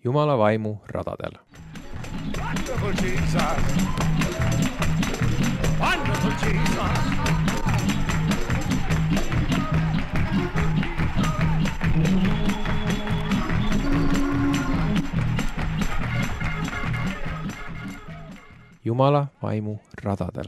Jumala vaimu radadel. Wonderful Jesus! Wonderful Jesus! Jumala vaimu radadel.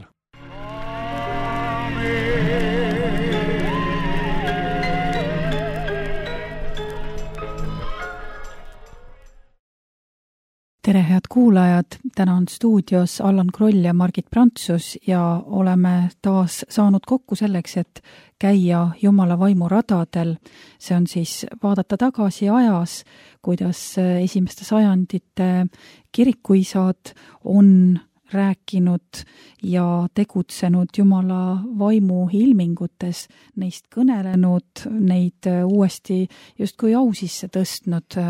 Tere, head kuulajad! Täna on stuudios Allan Kroll ja Margit Prantsus ja oleme taas saanud kokku selleks, et käia Jumala vaimu radadel. See on siis vaadata tagasi ajas, kuidas esimeste sajandite kirikuisad on rääkinud ja tegutsenud Jumala vaimu ilmingutes, neist kõnelenud, neid uuesti justkui au sisse tõstnud,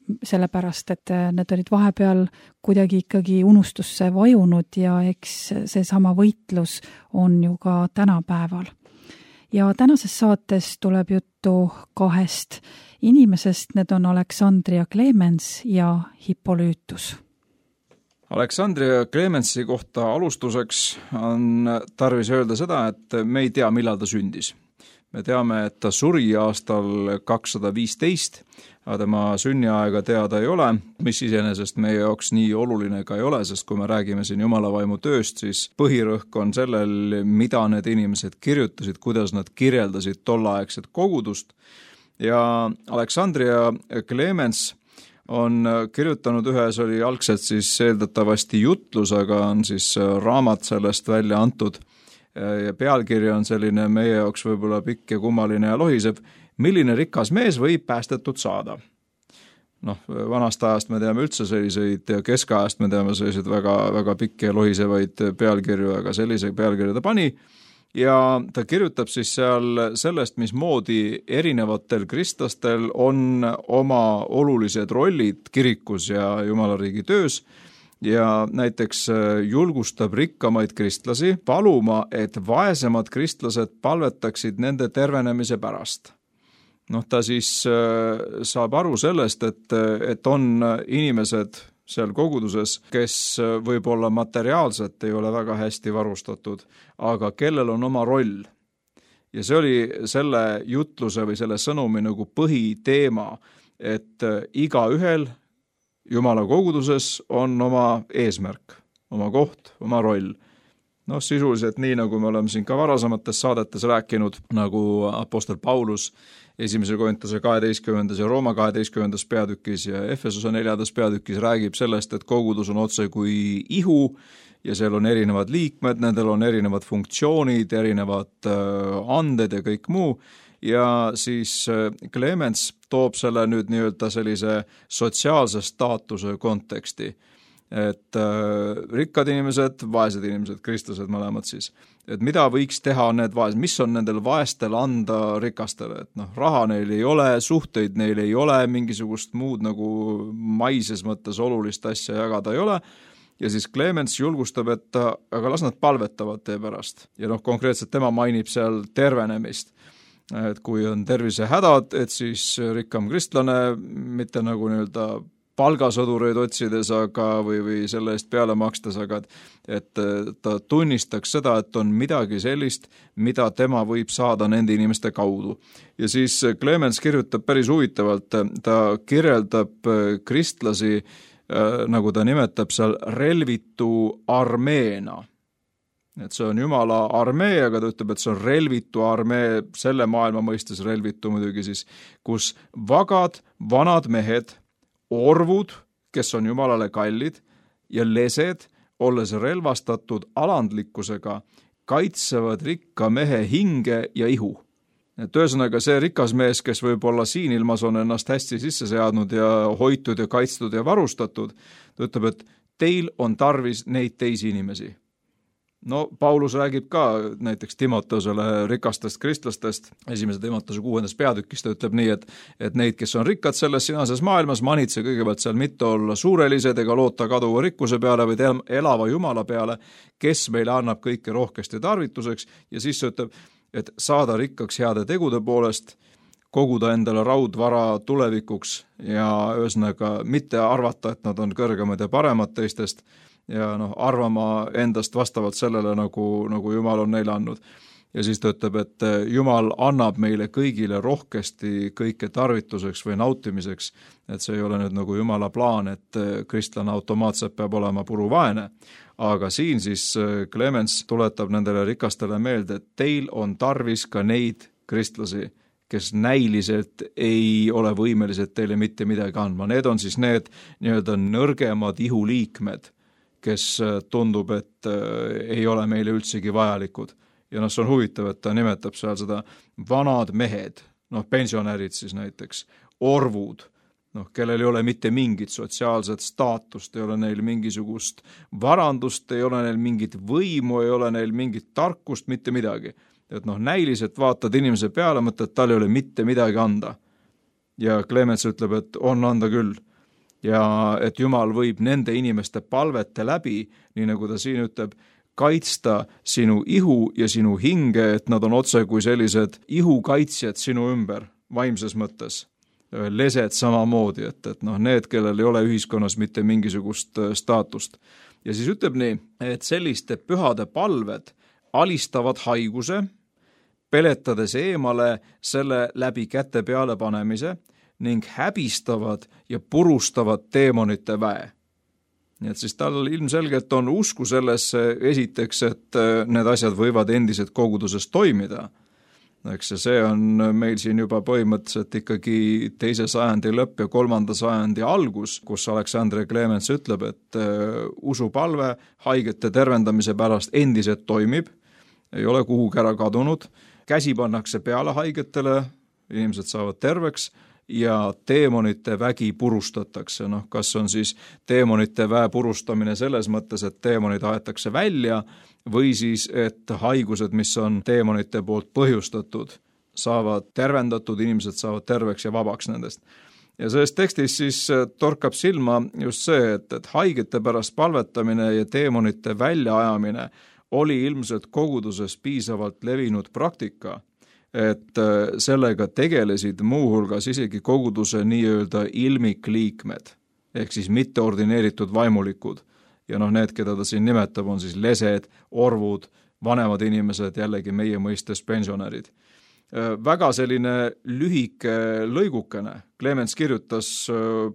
sellepärast, et need olid vahepeal kuidagi ikkagi unustusse vajunud ja eks seesama võitlus on ju ka tänapäeval. Ja tänases saates tuleb juttu kahest inimesest, need on Aleksandria Clemens ja Hippolytus. Aleksandria Clemensi kohta alustuseks on tarvis öelda seda, et me ei tea, millal ta sündis. Me teame, et ta suri aastal 215, aga tema sünniaega teada ei ole, mis iseenesest meie jaoks nii oluline ka ei ole, sest kui me räägime siin Jumala vaimu tööst, siis põhirõhk on sellel, mida need inimesed kirjutasid, kuidas nad kirjeldasid tolleaegset kogudust. Ja Aleksandria Clemens on kirjutanud ühes, oli algselt siis eeldatavasti jutlus, aga on siis raamat sellest välja antud. Ja pealkiri on selline meie jaoks võib-olla pikk ja kummaline ja lohisev, milline rikas mees võib päästetud saada. Vanast ajast me teame üldse selliseid ja keskajast me teame selliseid väga, väga pikki ja lohisevaid pealkirju, aga sellise pealkirja ta pani ja ta kirjutab siis seal sellest, mismoodi erinevatel kristlastel on oma olulised rollid kirikus ja Jumala riigi töös. Ja näiteks julgustab rikkamaid kristlasi paluma, et vaesemad kristlased palvetaksid nende tervenemise pärast. Ta siis saab aru sellest, et on inimesed seal koguduses, kes võib-olla materiaalselt ei ole väga hästi varustatud, aga kellel on oma roll. Ja see oli selle jutluse või selle sõnumi nagu põhiteema, et igaühel Jumala koguduses on oma eesmärk, oma koht, oma roll. Sisuliselt nii, nagu me oleme siin ka varasemates saadetes rääkinud, nagu apostel Paulus 1. Korintuse 12. ja Rooma 12. peatükis ja Efesuse 4. peatükis räägib sellest, et kogudus on otse kui ihu ja seal on erinevad liikmed, nendel on erinevad funktsioonid, erinevad anded ja kõik muu. Ja siis Clemens toob selle nüüd nii-öelda sellise sotsiaalse staatuse konteksti, et rikkad inimesed, vaesed inimesed, kristlased mõlemad siis, et mida võiks teha need vaesed, mis on nendel vaestel anda rikastele, et raha neil ei ole, suhteid neil ei ole, mingisugust muud nagu maises mõttes olulist asja jagada ei ole. Ja siis Clemens julgustab, et aga las nad palvetavad tee pärast. Ja konkreetselt tema mainib seal tervenemist. Et kui on tervisehädad, et siis rikkam kristlane, mitte nagu nii-öelda palgasõdureid otsides või selle eest peale makstes, aga et ta tunnistaks seda, et on midagi sellist, mida tema võib saada nende inimeste kaudu. Ja siis Clemens kirjutab päris huvitavalt, ta kirjeldab kristlasi, nagu ta nimetab seal relvitu armeena. Et see on Jumala armee, aga ta ütleb, et see on relvitu armee, selle maailma mõistes relvitu muidugi siis, kus vagad, vanad mehed, orvud, kes on Jumalale kallid, ja lesed, olles relvastatud alandlikkusega, kaitsevad rikka mehe hinge ja ihu. Et ühesõnaga see rikas mees, kes võib-olla siin ilmas on ennast hästi sisse seadnud ja hoitud ja kaitstud ja varustatud, ta ütleb, et teil on tarvis neid teisi inimesi. Paulus räägib ka näiteks Timoteusele rikastest kristlastest, 1. Timoteuse 6. peatükis ta ütleb nii, et neid, kes on rikkad selles sinases maailmas, manitse kõigepealt seal mitte olla suurelised ega loota kaduva rikkuse peale või elava Jumala peale, kes meile annab kõike rohkesti tarvituseks ja siis ütleb, et saada rikkaks heade tegude poolest, koguda endale raudvara tulevikuks ja ühesõnaga mitte arvata, et nad on kõrgemad ja paremad teistest ja arvama endast vastavalt sellele, nagu Jumal on neile andnud. Ja siis ta ütleb, et Jumal annab meile kõigile rohkesti kõike tarvituseks või nautimiseks, et see ei ole nüüd nagu Jumala plaan, et kristlane automaatselt peab olema puruvaene. Aga siin siis Clemens tuletab nendele rikastele meelde, et teil on tarvis ka neid kristlasi, kes näiliselt ei ole võimelised teile mitte midagi andma. Need on siis need nii-öelda nõrgemad ihuliikmed, kes tundub, et ei ole meile üldsegi vajalikud. Ja see on huvitav, et ta nimetab seal seda vanad mehed, pensionärid siis näiteks, orvud, kellel ei ole mitte mingit sotsiaalset staatust, ei ole neil mingisugust varandust, ei ole neil mingit võimu, ei ole neil mingit tarkust, mitte midagi. Et näiliselt vaatad inimese peale, mõtled, et tal ei ole mitte midagi anda. Ja Clemens ütleb, et on anda küll. Ja et Jumal võib nende inimeste palvete läbi, nii nagu ta siin ütleb, kaitsta sinu ihu ja sinu hinge, et nad on otse kui sellised ihukaitsjad sinu ümber, vaimses mõttes. Lesed samamoodi, et need, kellel ei ole ühiskonnas mitte mingisugust staatust. Ja siis ütleb nii, et selliste pühade palved alistavad haiguse, peletades eemale selle läbi käte peale panemise ning häbistavad ja purustavad teemonite väe. Nii et siis tal ilmselgelt on usku sellesse esiteks, et need asjad võivad endiselt koguduses toimida. Eks see on meil siin juba põhimõtteliselt ikkagi 2. sajandi lõpp ja 3. sajandi algus, kus Alexander Clemens ütleb, et usupalve haigete tervendamise pärast endiselt toimib, ei ole kuhugi ära kadunud, käsi pannakse peale haigetele, inimesed saavad terveks, ja teemonite vägi purustatakse. Kas on siis teemonite väe purustamine selles mõttes, et teemonid aetakse välja või siis, et haigused, mis on teemonite poolt põhjustatud, saavad tervendatud, inimesed saavad terveks ja vabaks nendest. Ja selles tekstis siis torkab silma just see, et haigete pärast palvetamine ja teemonite väljaajamine oli ilmselt koguduses piisavalt levinud praktika, et sellega tegelesid muuhulgas isegi koguduse nii-öelda ilmikliikmed, ehk siis mitteordineeritud vaimulikud. Ja need, keda ta siin nimetab, on siis lesed, orvud, vanemad inimesed, jällegi meie mõistes pensionärid. Väga selline lühike lõigukene. Clemens kirjutas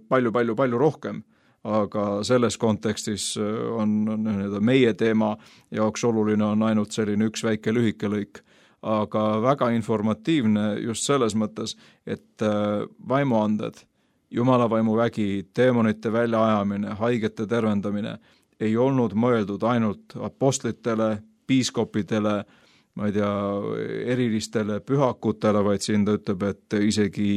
palju rohkem, aga selles kontekstis on meie teema jaoks oluline on ainult selline üks väike lühike lõik. Aga väga informatiivne just selles mõttes, et vaimuanded, Jumala vaimu vägi, teemonite väljaajamine, haigete tervendamine ei olnud mõeldud ainult apostlitele, piiskopidele, ma ei tea, erilistele pühakutele, vaid siin ta ütleb, et isegi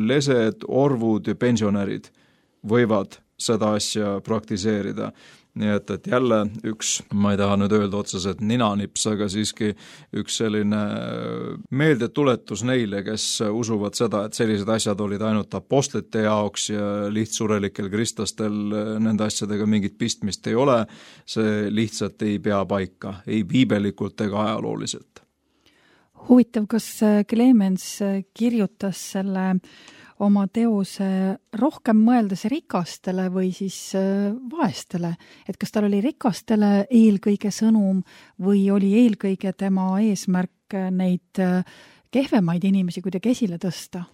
lesed, orvud ja pensionärid võivad seda asja praktiseerida. Nii et jälle üks, ma ei taha nüüd öelda otseselt ninanips, aga siiski üks selline meeldetuletus neile, kes usuvad seda, et sellised asjad olid ainult apostlite jaoks ja lihtsurelikel kristlastel nende asjadega mingit pistmist ei ole, see lihtsalt ei pea paika, ei piibelikult ega ajalooliselt. Huvitav, kas Clemens kirjutas selle oma teose rohkem mõeldes rikastele või siis vaestele, et kas tal oli rikastele eelkõige sõnum või oli eelkõige tema eesmärk neid kehvemaid inimesi kuidagi esile tõsta?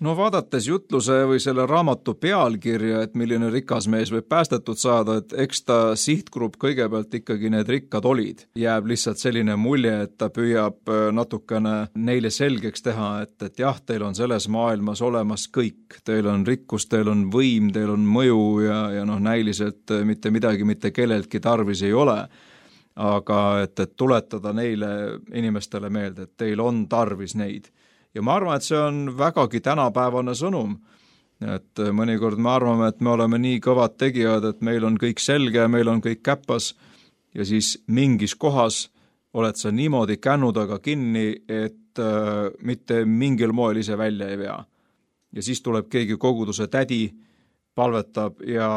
No vaadates jutluse või selle raamatu pealkirja, et milline rikas mees võib päästetud saada, et eks ta sihtgrupp kõigepealt ikkagi need rikkad olid. Jääb lihtsalt selline mulje, et ta püüab natukene neile selgeks teha, et jah, teil on selles maailmas olemas kõik. Teil on rikkus, teil on võim, teil on mõju ja näiliselt mitte midagi mitte kelleltki tarvis ei ole. Aga et tuletada neile inimestele meelde, et teil on tarvis neid. Ja ma arvan, et see on vägagi tänapäevane sõnum, et mõnikord me arvame, et me oleme nii kõvad tegijad, et meil on kõik selge ja meil on kõik käpas ja siis mingis kohas oled sa niimoodi kännudaga kinni, et mitte mingil moel ise välja ei vea. Ja siis tuleb keegi koguduse tädi, palvetab ja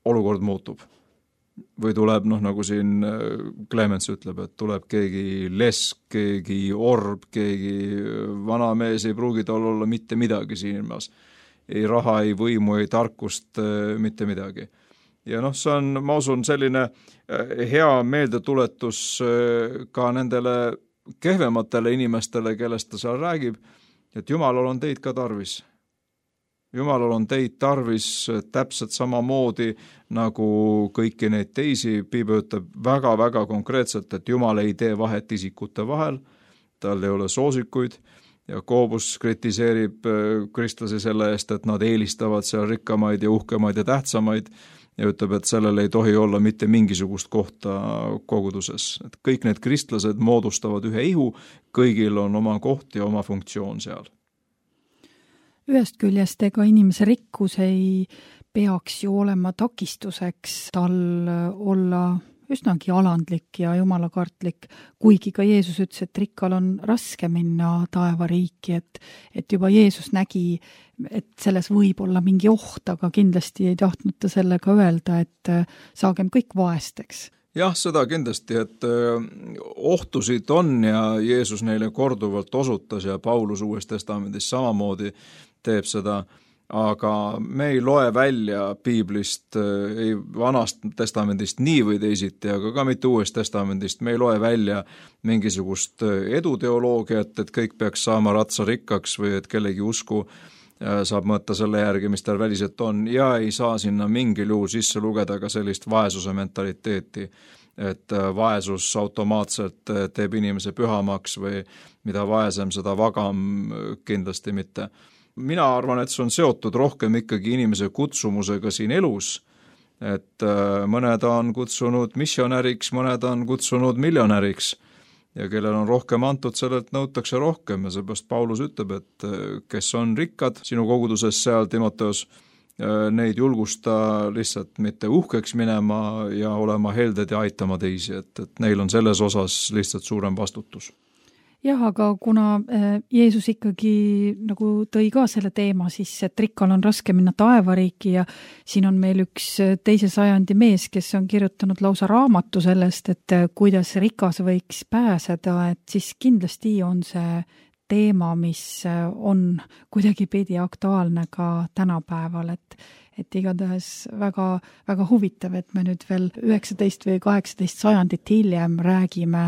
olukord muutub. või tuleb, nagu siin Clemens ütleb, et tuleb keegi lesk, keegi orb, keegi vana mees, ei pruugi tal olla mitte midagi siin ilmas. Ei raha, ei võimu, ei tarkust, mitte midagi. Ja see on, ma usun, selline hea meeldetuletus ka nendele kehvematele inimestele, kellest ta seal räägib, et Jumalal on teid ka tarvis. Jumalal on teid tarvis täpselt samamoodi nagu kõiki neid teisi. Piibel ütleb väga-väga konkreetselt, et Jumal ei tee vahet isikute vahel, tal ei ole soosikuid ja Koobus kritiseerib kristlasi selle eest, et nad eelistavad seal rikkamaid ja uhkemaid ja tähtsamaid ja ütleb, et sellel ei tohi olla mitte mingisugust kohta koguduses. Et kõik need kristlased moodustavad ühe ihu, kõigil on oma koht ja oma funktsioon seal. Ühest küljest ega inimese rikkus ei peaks ju olema takistuseks tal olla üsnagi alandlik ja jumalakartlik, kuigi ka Jeesus ütles, et rikkal on raske minna taevariiki, et juba Jeesus nägi, et selles võib olla mingi oht, aga kindlasti ei tahtnud ta sellega öelda, et saagem kõik vaesteks. Jah, seda kindlasti, et ohtusid on ja Jeesus neile korduvalt osutas ja Paulus Uues Testamendis samamoodi teeb seda, aga me ei loe välja piiblist, ei Vanast Testamendist nii või teisiti, aga ka mitte Uuest Testamendist, me ei loe välja mingisugust eduteoloogiat, et kõik peaks saama ratsarikkaks või et kellegi usku saab mõõta selle järgi, mis tal väliselt on ja ei saa sinna mingil juhul sisse lugeda ka sellist vaesuse mentaliteeti, et vaesus automaatselt teeb inimese pühamaks või mida vaesem, seda vagam, kindlasti mitte. Mina arvan, et see on seotud rohkem ikkagi inimese kutsumusega siin elus, et mõned on kutsunud missionäriks, mõned on kutsunud miljonäriks ja kellel on rohkem antud, sellelt nõutakse rohkem ja seepärast Paulus ütleb, et kes on rikkad sinu koguduses seal Timoteos, neid julgusta lihtsalt mitte uhkeks minema ja olema helded ja aitama teisi, et neil on selles osas lihtsalt suurem vastutus. Jah, aga kuna Jeesus ikkagi nagu tõi ka selle teema sisse, et rikkal on raske minna taevariiki ja siin on meil üks 2. sajandi mees, kes on kirjutanud lausa raamatu sellest, et kuidas rikas võiks pääseda, et siis kindlasti on see teema, mis on kuidagi pidi aktuaalne ka tänapäeval, et igatahes väga, väga huvitav, et me nüüd veel 19 või 18 sajandit hiljem räägime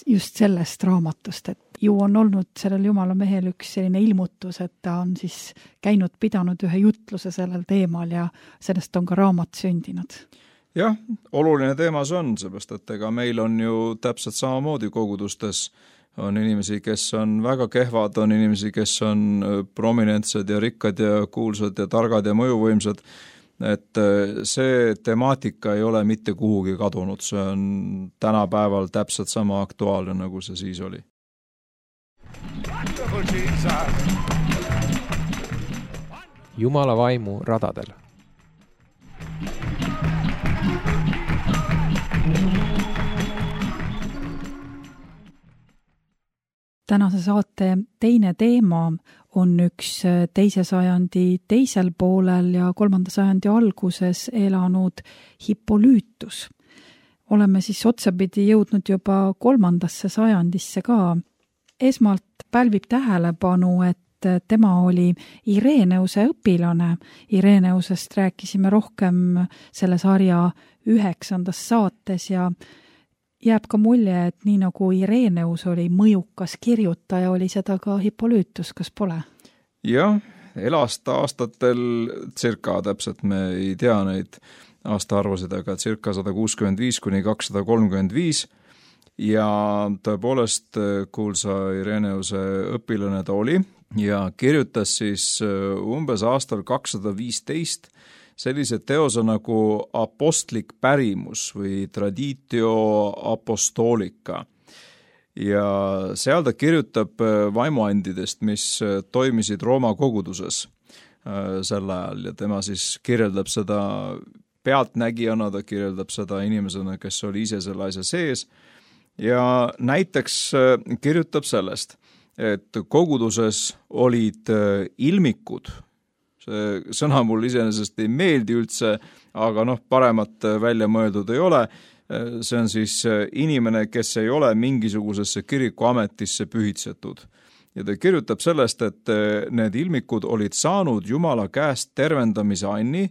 just sellest raamatust, et ju on olnud sellel Jumala mehel üks selline ilmutus, et ta on siis käinud, pidanud ühe jutluse sellel teemal ja sellest on ka raamat sündinud. Jah, oluline teema see on, seepärast, et ega meil on ju täpselt samamoodi kogudustes on inimesi, kes on väga kehvad, on inimesi, kes on prominentsed ja rikkad ja kuulsad ja targad ja mõjuvõimsad, et see temaatika ei ole mitte kuhugi kadunud, see on tänapäeval täpselt sama aktuaalne, nagu see siis oli. Jumala vaimu radadel. Tänase saate teine teema on üks 2. sajandi teisel poolel ja 3. sajandi alguses elanud Hippoliitus. Oleme siis otsapidi jõudnud juba 3. sajandisse ka. Esmalt pälvib tähelepanu, et tema oli Ireneuse õpilane. Ireneusest rääkisime rohkem selle sarja 9. saates ja jääb ka mulje, et nii nagu Ireneus oli mõjukas kirjutaja, oli seda ka Hippoliitus, kas pole? Jah, elas ta aastatel circa, täpselt me ei tea neid aastaarvusid, aga circa 165 kuni 235 ja tõepoolest kuulsa Ireneuse õpilane ta oli ja kirjutas siis umbes aastal 215 sellise teose nagu apostlik pärimus või traditio apostolica. Ja seal ta kirjutab vaimuandidest, mis toimisid Rooma koguduses sel ajal ja tema siis kirjeldab seda pealtnägijana, ta kirjeldab seda inimesena, kes oli ise selle asja sees ja näiteks kirjutab sellest, et koguduses olid ilmikud, See sõna mul iseenesest ei meeldi üldse, aga paremat välja mõeldud ei ole. See on siis inimene, kes ei ole mingisugusesse kirikuametisse pühitsetud. Ja ta kirjutab sellest, et need ilmikud olid saanud Jumala käest tervendamise anni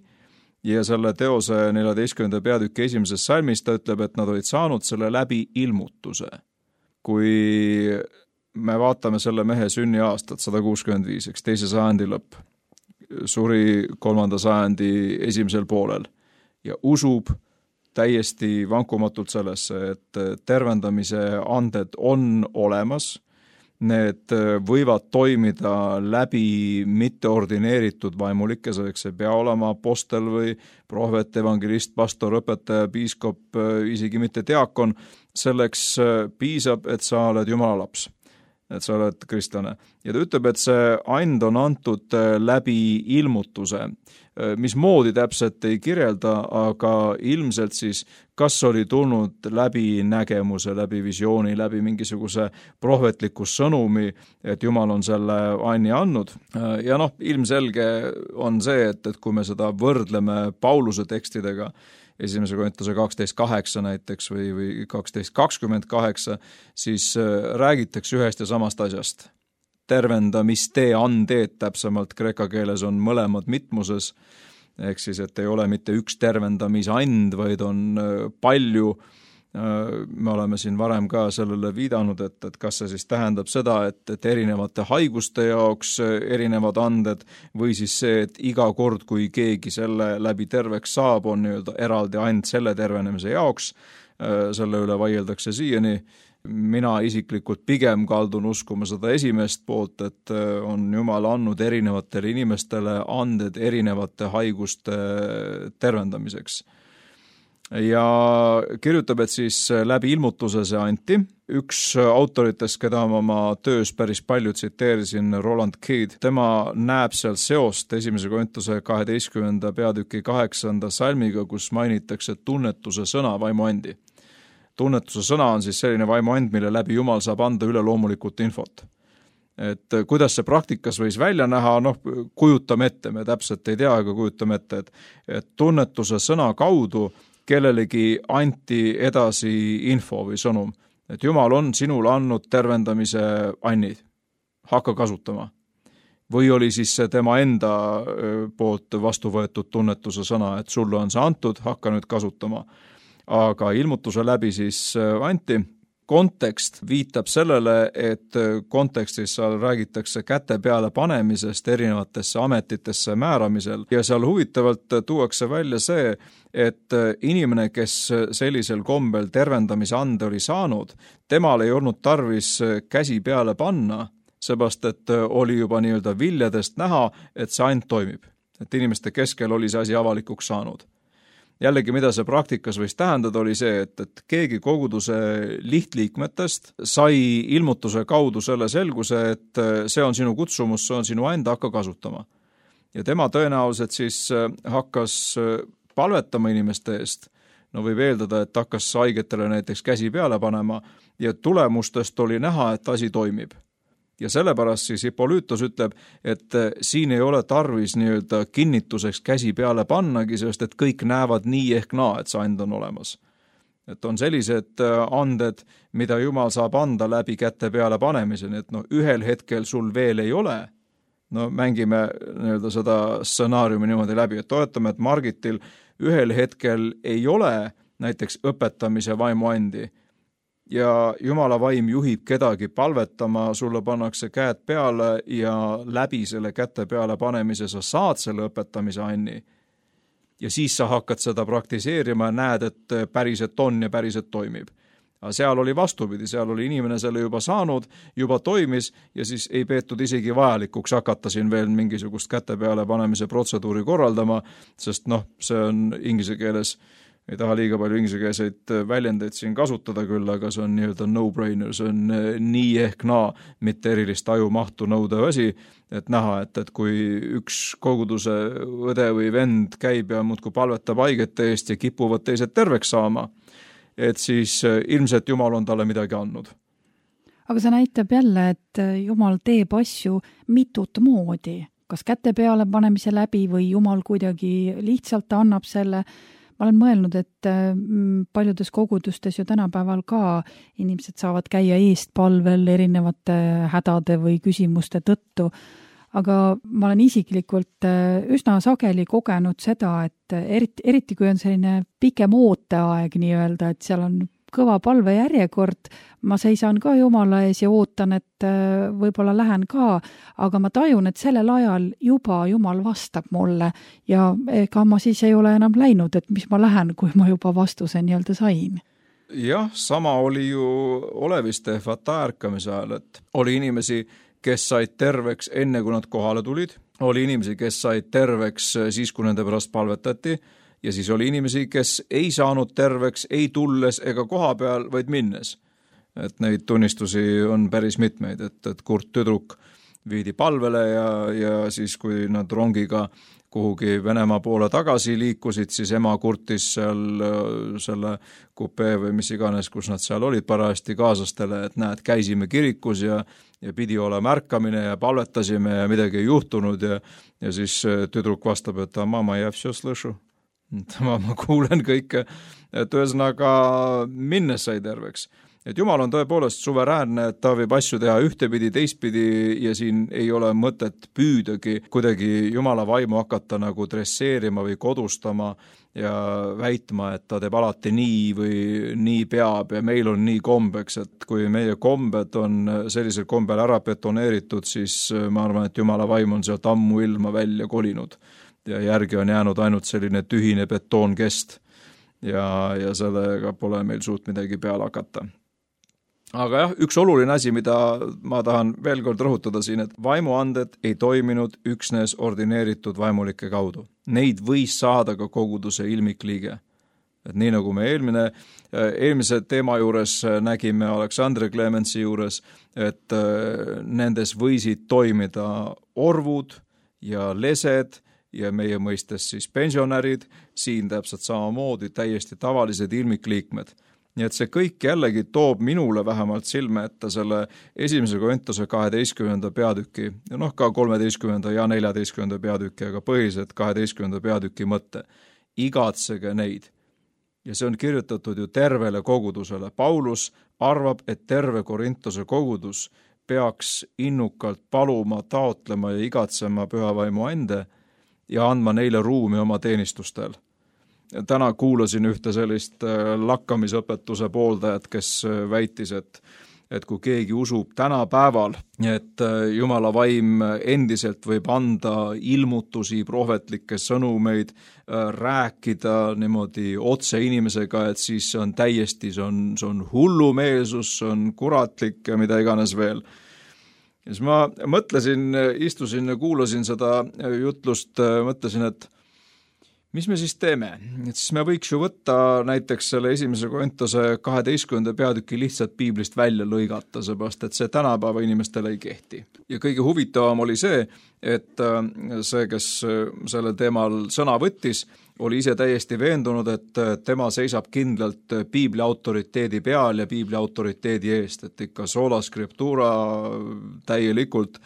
ja selle teose 14. peatüki 1. salmis ta ütleb, et nad olid saanud selle läbi ilmutuse. Kui me vaatame selle mehe sünniaastat 165, eks 2. sajandi lõpp, suri 3. sajandi esimesel poolel ja usub täiesti vankumatult sellesse, et tervendamise anded on olemas. Need võivad toimida läbi mitteordineeritud vaimulikke, selleks ei pea olema apostel või prohvet, evangelist, pastor, õpetaja, piiskop, isegi mitte diakon. Selleks piisab, et sa oled Jumala laps, et sa oled kristlane. Ja ta ütleb, et see and on antud läbi ilmutuse. Mismoodi täpselt ei kirjelda, aga ilmselt siis kas oli tulnud läbi nägemuse, läbi visiooni, läbi mingisuguse prohvetliku sõnumi, et Jumal on selle anni andnud. Ja ilmselge on see, et kui me seda võrdleme Pauluse tekstidega, 1. Korintuse 12.8 näiteks või 12.28, siis räägitakse ühest ja samast asjast. Tervendamiste andeed, täpsemalt kreeka keeles on mõlemad mitmuses, ehk siis, et ei ole mitte üks tervendamisand, vaid on palju. Me oleme siin varem ka sellele viidanud, et kas see siis tähendab seda, et erinevate haiguste jaoks erinevad anded või siis see, et iga kord, kui keegi selle läbi terveks saab, on nii-öelda eraldi and selle tervenemise jaoks, selle üle vaieldakse siiani. Mina isiklikult pigem kaldun uskuma seda esimest poolt, et on Jumal andnud erinevatele inimestele anded erinevate haiguste tervendamiseks. Ja kirjutab, et siis läbi ilmutuse see anti. Üks autoritest, keda ma oma töös päris palju tsiteerisin, Roland Keed, tema näeb seal seost 1. Korintuse 12. peatüki 8. salmiga, kus mainitakse tunnetuse sõna vaimuandi. Tunnetuse sõna on siis selline vaimuand, mille läbi Jumal saab anda üleloomulikult infot. Et kuidas see praktikas võis välja näha, kujutame ette, me täpselt ei tea, aga kujutame ette, et tunnetuse sõna kaudu kellelegi anti edasi info või sõnum, et Jumal on sinule andnud tervendamise annid, hakka kasutama. Või oli siis see tema enda poolt vastu võetud tunnetuse sõna, et sulle on see antud, hakka nüüd kasutama. Aga ilmutuse läbi siis anti. Kontekst viitab sellele, et kontekstis seal räägitakse käte peale panemisest erinevatesse ametitesse määramisel ja seal huvitavalt tuuakse välja see, et inimene, kes sellisel kombel tervendamise ande oli saanud, temal ei olnud tarvis käsi peale panna, seepärast et oli juba nii-öelda viljadest näha, et see and toimib. Et inimeste keskel oli see asi avalikuks saanud. Jällegi, mida see praktikas võis tähendada, oli see, et keegi koguduse lihtliikmetest sai ilmutuse kaudu selle selguse, et see on sinu kutsumus, see on sinu enda, hakka kasutama. Ja tema tõenäoliselt siis hakkas palvetama inimeste eest, võib eeldada, et hakkas haigetele näiteks käsi peale panema ja tulemustest oli näha, et asi toimib. Ja sellepärast siis Hippolytos ütleb, et siin ei ole tarvis nii-öelda kinnituseks käsi peale pannagi, sest et kõik näevad nii ehk naa, et see and on olemas. Et on sellised anded, mida Jumal saab anda läbi käte peale panemiseni, et ühel hetkel sul veel ei ole. Mängime nii-öelda seda stsenaariumi niimoodi läbi, et toetame, et Margitil ühel hetkel ei ole näiteks õpetamise vaimuandi, ja Jumala vaim juhib kedagi palvetama, sulle pannakse käed peale ja läbi selle käte peale panemise sa saad selle õpetamise anni. Ja siis sa hakkad seda praktiseerima ja näed, et päriselt on ja päriselt toimib. Aga seal oli vastupidi, seal oli inimene selle juba saanud, juba toimis ja siis ei peetud isegi vajalikuks hakata siin veel mingisugust käte peale panemise protseduuri korraldama, sest see on inglise keeles, ei taha liiga palju ingliskeelseid väljendeid siin kasutada küll, aga see on nii-öelda no-brainer, see on nii ehk naa, mitte erilist ajumahtu nõudev asi, et näha, et kui üks koguduse õde või vend käib ja muudkui palvetab haigete eest ja kipuvad teised terveks saama, et siis ilmselt Jumal on talle midagi andnud. Aga see näitab jälle, et Jumal teeb asju mitut moodi. kas käte peale panemise läbi või Jumal kuidagi lihtsalt annab selle. Ma olen mõelnud, et paljudes kogudustes ju tänapäeval ka inimesed saavad käia eestpalvel erinevate hädade või küsimuste tõttu, aga ma olen isiklikult üsna sageli kogenud seda, et eriti kui on selline pikem ooteaeg nii-öelda, et seal on kõva palve järjekord, ma seisan ka Jumala ees ja ootan, et võib-olla lähen ka, aga ma tajun, et sellel ajal juba Jumal vastab mulle ja ega ma siis ei ole enam läinud, et mis ma lähen, kui ma juba vastuse nii-öelda sain. Jah, sama oli ju oleviste fata ärkamise ajal, et oli inimesi, kes said terveks enne, kui nad kohale tulid, oli inimesi, kes said terveks siis, kui nende pärast palvetati, ja siis oli inimesi, kes ei saanud terveks, ei tulles ega koha peal, vaid minnes. Et neid tunnistusi on päris mitmeid, et kurt tüdruk viidi palvele ja siis, kui nad rongiga kuhugi Venemaa poole tagasi liikusid, siis ema kurtis seal selle kupee või mis iganes, kus nad seal olid parajasti kaaslastele, et näed, käisime kirikus ja pidi olema märkamine ja palvetasime ja midagi ei juhtunud ja siis tüdruk vastab, et mama, ja все слышу. Ma kuulen kõike, et ühesõnaga minnes sai terveks. Et Jumal on tõepoolest suveräänne, et ta võib asju teha ühtepidi, teistpidi ja siin ei ole mõtet püüdagi kuidagi Jumala vaimu hakata nagu dresseerima või kodustama ja väitma, et ta teeb alati nii või nii peab ja meil on nii kombeks, et kui meie kombed on sellisel kombel ära betoneeritud, siis ma arvan, et Jumala vaim on sealt ammu ilma välja kolinud. Ja järgi on jäänud ainult selline tühine betoonkest ja sellega pole meil suut midagi peale hakata. Aga jah, üks oluline asi, mida ma tahan veel kord rõhutada siin, et vaimuanded ei toiminud üksnes ordineeritud vaimulike kaudu. Neid võis saada ka koguduse ilmikliige. Et nii nagu me eelmise teema juures nägime Aleksandre Clemensi juures, et nendes võisid toimida orvud ja lesed ja meie mõistes siis pensionärid, siin täpselt samamoodi täiesti tavalised ilmikliikmed. Nii et see kõik jällegi toob minule vähemalt silme ette selle 1. Korintuse 12. peatüki, ka 13. ja 14. peatüki, aga põhiliselt 12. peatüki mõtte. Igatsege neid. Ja see on kirjutatud ju tervele kogudusele. Paulus arvab, et terve Korintuse kogudus peaks innukalt paluma, taotlema ja igatsema pühavaimu ande ja andma neile ruumi oma teenistustel. Täna kuulasin ühte sellist lakkamisõpetuse pooldajat, kes väitis, et kui keegi usub tänapäeval, et Jumala vaim endiselt võib anda ilmutusi, prohvetlikke sõnumeid, rääkida niimoodi otse inimesega, et siis see on täiesti, see on hullumeelsus, see on kuratlik ja mida iganes veel. Ja siis ma mõtlesin, istusin ja kuulasin seda jutlust, mõtlesin, et mis me siis teeme? Et siis me võiks ju võtta näiteks selle 1. Korintuse 12. peatüki lihtsalt piiblist välja lõigata, seepärast et see tänapäeva inimestele ei kehti. Ja kõige huvitavam oli see, et see, kes sellel teemal sõna võttis, oli ise täiesti veendunud, et tema seisab kindlalt piibli autoriteedi peal ja piibli autoriteedi eest, et ikka sola scriptura täielikult.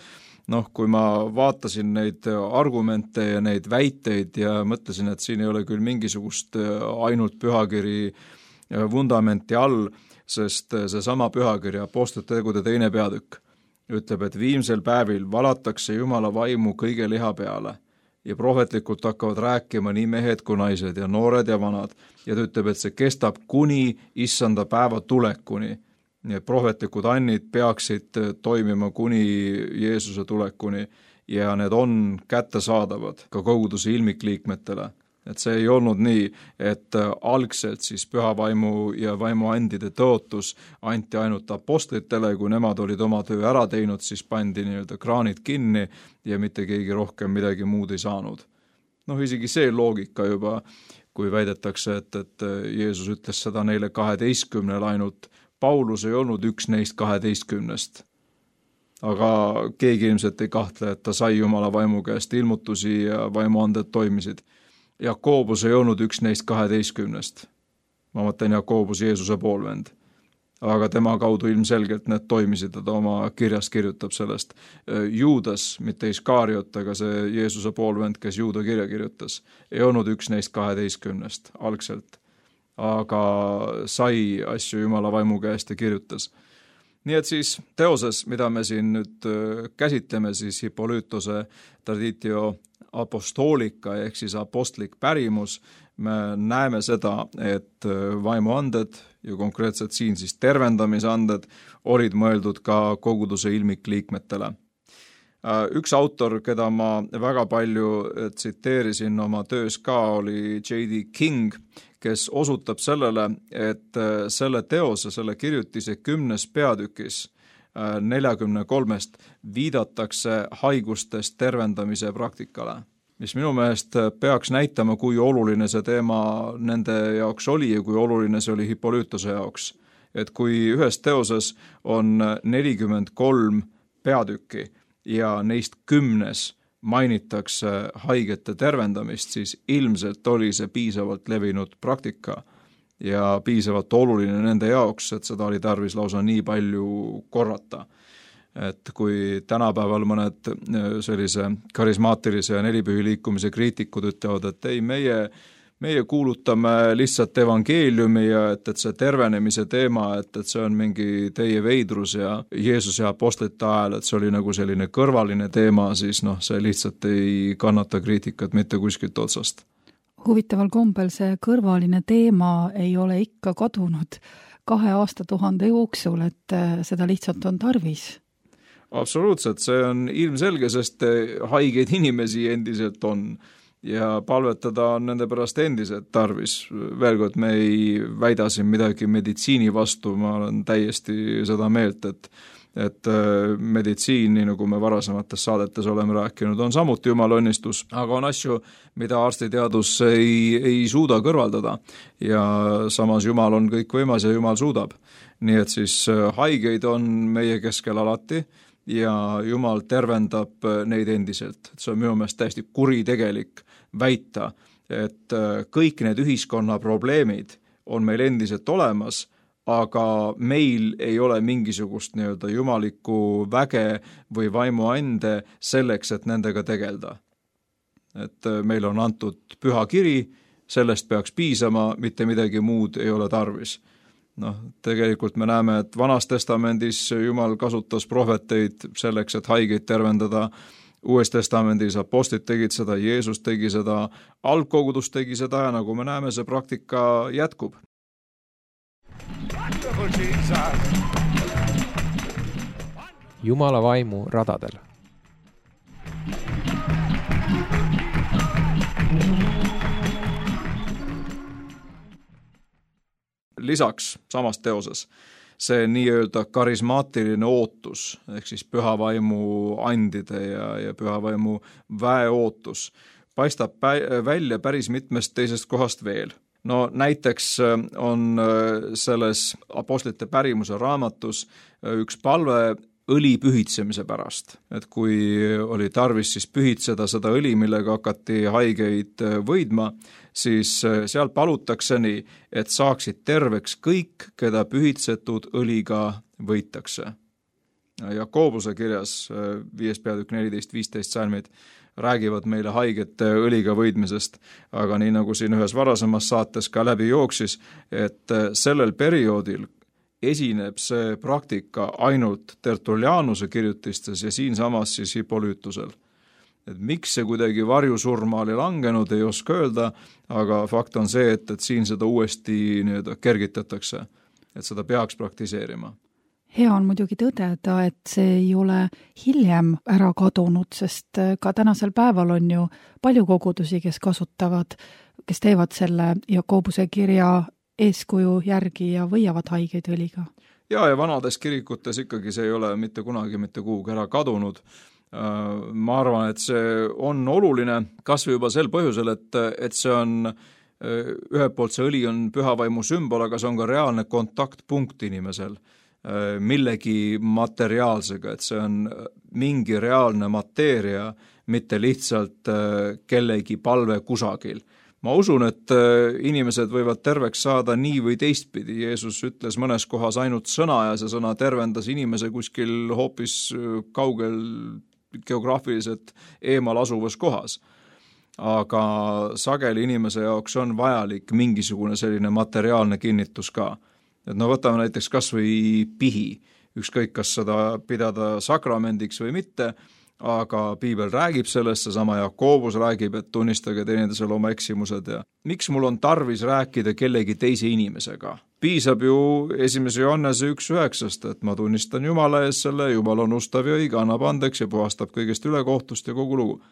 Kui ma vaatasin neid argumente ja neid väiteid ja mõtlesin, et siin ei ole küll mingisugust ainult pühakiri vundamenti all, sest see sama pühakiri Apostlite tegude 2. peatükk ütleb, et viimsel päevil valatakse Jumala vaimu kõige liha peale ja prohvetlikult hakkavad rääkima nii mehed kui naised ja noored ja vanad ja ta ütleb, et see kestab kuni issanda päeva tulekuni. Nii et prohvetlikud annid peaksid toimima kuni Jeesuse tulekuni ja need on kättesaadavad ka koguduse ilmikliikmetele. Et see ei olnud nii, et algselt siis pühavaimu ja vaimuandide tõotus anti ainult apostlitele, kui nemad olid oma töö ära teinud, siis pandi nii-öelda kraanid kinni ja mitte keegi rohkem midagi muud ei saanud. Isegi see loogika juba, kui väidetakse, et Jeesus ütles seda neile 12 ainult, Paulus ei olnud üks neist 12. Aga keegi ilmselt ei kahtle, et ta sai Jumala vaimu käest ilmutusi ja vaimuanded toimisid. Jakoobus ei olnud üks neist 12. Ma mõtlen Jakoobus Jeesuse poolvend. aga tema kaudu ilmselgelt need toimisid, ta oma kirjas kirjutab sellest. Juudas, mitte Iskariot, aga see Jeesuse poolvend, kes Juuda kirja kirjutas, ei olnud üks neist 12 algselt, aga sai asju Jumala vaimu käest ja kirjutas. Nii et siis teoses, mida me siin nüüd käsitleme, siis Hippolytose traditio apostolika ehk siis apostlik pärimus, me näeme seda, et vaimuanded ja konkreetselt siin siis tervendamisanded olid mõeldud ka koguduse ilmikliikmetele. Üks autor, keda ma väga palju tsiteerisin oma töös ka, oli J.D. King, kes osutab sellele, et selle teose, selle kirjutise 10. peatükis 43 viidatakse haigustest tervendamise praktikale, mis minu meelest peaks näitama, kui oluline see teema nende jaoks oli ja kui oluline see oli Hippolytose jaoks. Et kui ühes teoses on 43 peatükki ja neist 10 mainitakse haigete tervendamist, siis ilmselt oli see piisavalt levinud praktika ja piisavalt oluline nende jaoks, et seda oli tarvis lausa nii palju korrata. Et kui tänapäeval mõned sellise karismaatilise ja nelipühi liikumise kriitikud ütlevad, et ei, meie kuulutame lihtsalt evangeeliumi ja et see tervenemise teema, et see on mingi teie veidrus ja Jeesuse apostlite ajal, et see oli nagu selline kõrvaline teema, siis see lihtsalt ei kannata kriitikat mitte kuskilt otsast. Huvitaval kombel see kõrvaline teema ei ole ikka kadunud 2 aastatuhande jooksul, et seda lihtsalt on tarvis. Absoluutselt, see on ilmselge, sest haigeid inimesi endiselt on ja palvetada on nende pärast endiselt tarvis. Veel kord, me ei väida siin midagi meditsiini vastu, ma olen täiesti seda meelt, et meditsiin, nii nagu me varasemates saadetes oleme rääkinud, on samuti jumala õnnistus, aga on asju, mida arstiteadus ei suuda kõrvaldada ja samas Jumal on kõik võimas ja Jumal suudab. Nii et siis haigeid on meie keskel alati ja Jumal tervendab neid endiselt. See on minu meelest täiesti kuritegelik väita, et kõik need ühiskonna probleemid on meil endiselt olemas, aga meil ei ole mingisugust nii-öelda jumalikku väge või vaimuande selleks, et nendega tegelda. Et meil on antud püha kiri, sellest peaks piisama, mitte midagi muud ei ole tarvis. Tegelikult me näeme, et Vanas testamendis Jumal kasutas prohveteid selleks, et haigeid tervendada. Uues testamendis apostlid tegid seda, Jeesus tegi seda, algkogudus tegi seda ja nagu me näeme, see praktika jätkub. Jumala vaimu radadel. Lisaks samas teoses see nii-öelda karismaatiline ootus, ehk siis püha vaimu andide ja püha vaimu väe ootus paistab välja päris mitmest teisest kohast veel. Näiteks on selles apostlite pärimuse raamatus üks palve õli pühitsemise pärast. Et kui oli tarvis siis pühitseda seda õli, millega hakati haigeid võidma, siis seal palutakse nii, et saaksid terveks kõik, keda pühitsetud õliga võitakse. Jakobuse kirjas 5. peatükk 14-15 salmid räägivad meile haigete õliga võidmisest, aga nii nagu siin ühes varasemas saates ka läbi jooksis, et sellel perioodil esineb see praktika ainult Tertullianuse kirjutistes ja siinsamas siis Hippolytusel. Et miks see kuidagi varjusurma oli langenud, ei oska öelda, aga fakt on see, et siin seda uuesti kergitatakse, et seda peaks praktiseerima. Hea on muidugi tõdeda, et see ei ole hiljem ära kadunud, sest ka tänasel päeval on ju palju kogudusi, kes kasutavad, kes teevad selle Jakobuse kirja eeskuju järgi ja võiavad haigeid õliga. Ja vanades kirikutes ikkagi see ei ole mitte kunagi mitte kuhugi ära kadunud. Ma arvan, et see on oluline kas või juba sel põhjusel, et see on ühelt poolt see õli on püha vaimu sümbol, aga see on ka reaalne kontaktpunkt inimesel millegi materiaalsega, et see on mingi reaalne mateeria, mitte lihtsalt kellegi palve kusagil. Ma usun, et inimesed võivad terveks saada nii või teistpidi. Jeesus ütles mõnes kohas ainult sõna ja see sõna tervendas inimese kuskil hoopis kaugel geograafiliselt eemal asuvas kohas. Aga sageli inimese jaoks on vajalik mingisugune selline materiaalne kinnitus ka. Et võtame näiteks kas või pihi, ükskõik kas seda pidada sakramendiks või mitte, aga piibel räägib sellest, seesama Jakobus räägib, et tunnistage teineteisele oma eksimused ja miks mul on tarvis rääkida kellegi teise inimesega? Piisab ju 1. Johannese 1.9, et ma tunnistan Jumala ees selle, Jumal on ustav ja õige, annab andeks ja puhastab kõigest ülekohtust ja kogu lugu.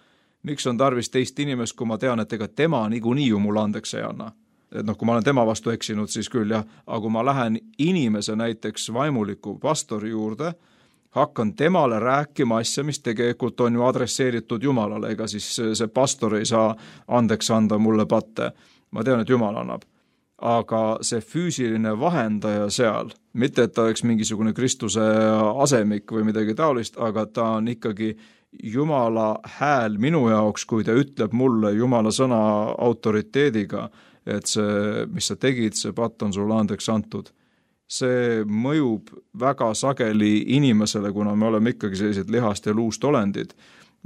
Miks on tarvis teist inimest, kui ma tean, et ega tema niikuinii ju mulle andeks ei anna? Et kui ma olen tema vastu eksinud, siis küll jah, aga kui ma lähen inimese näiteks vaimuliku pastori juurde, hakkan temale rääkima asja, mis tegelikult on ju adresseeritud Jumalale, ega siis see pastor ei saa andeks anda mulle patte. Ma tean, et Jumal annab. Aga see füüsiline vahendaja seal, mitte et ta oleks mingisugune Kristuse asemik või midagi taolist, aga ta on ikkagi Jumala hääl minu jaoks, kui ta ütleb mulle Jumala sõna autoriteediga, et see, mis sa tegid, see patt on sulle andeks antud. See mõjub väga sageli inimesele, kuna me oleme ikkagi sellised lihast ja luust olendid,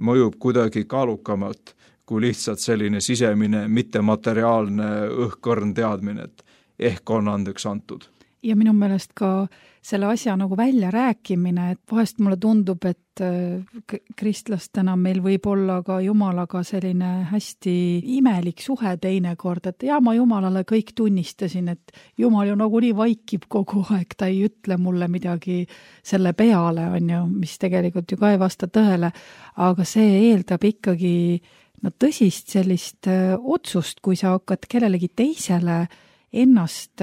mõjub kuidagi kaalukamalt kui lihtsalt selline sisemine, mittemateriaalne õhkõrn teadmine, et ehk on andeks antud. Ja minu meelest ka selle asja nagu välja rääkimine, et vahest mulle tundub, et kristlastena meil võib olla ka Jumalaga selline hästi imelik suhe teinekord, et ma Jumalale kõik tunnistasin, et Jumal ju nagu nii vaikib kogu aeg, ta ei ütle mulle midagi selle peale, on ju, mis tegelikult ju ka ei vasta tõele, aga see eeldab ikkagi tõsist sellist otsust, kui sa hakkad kellelegi teisele ennast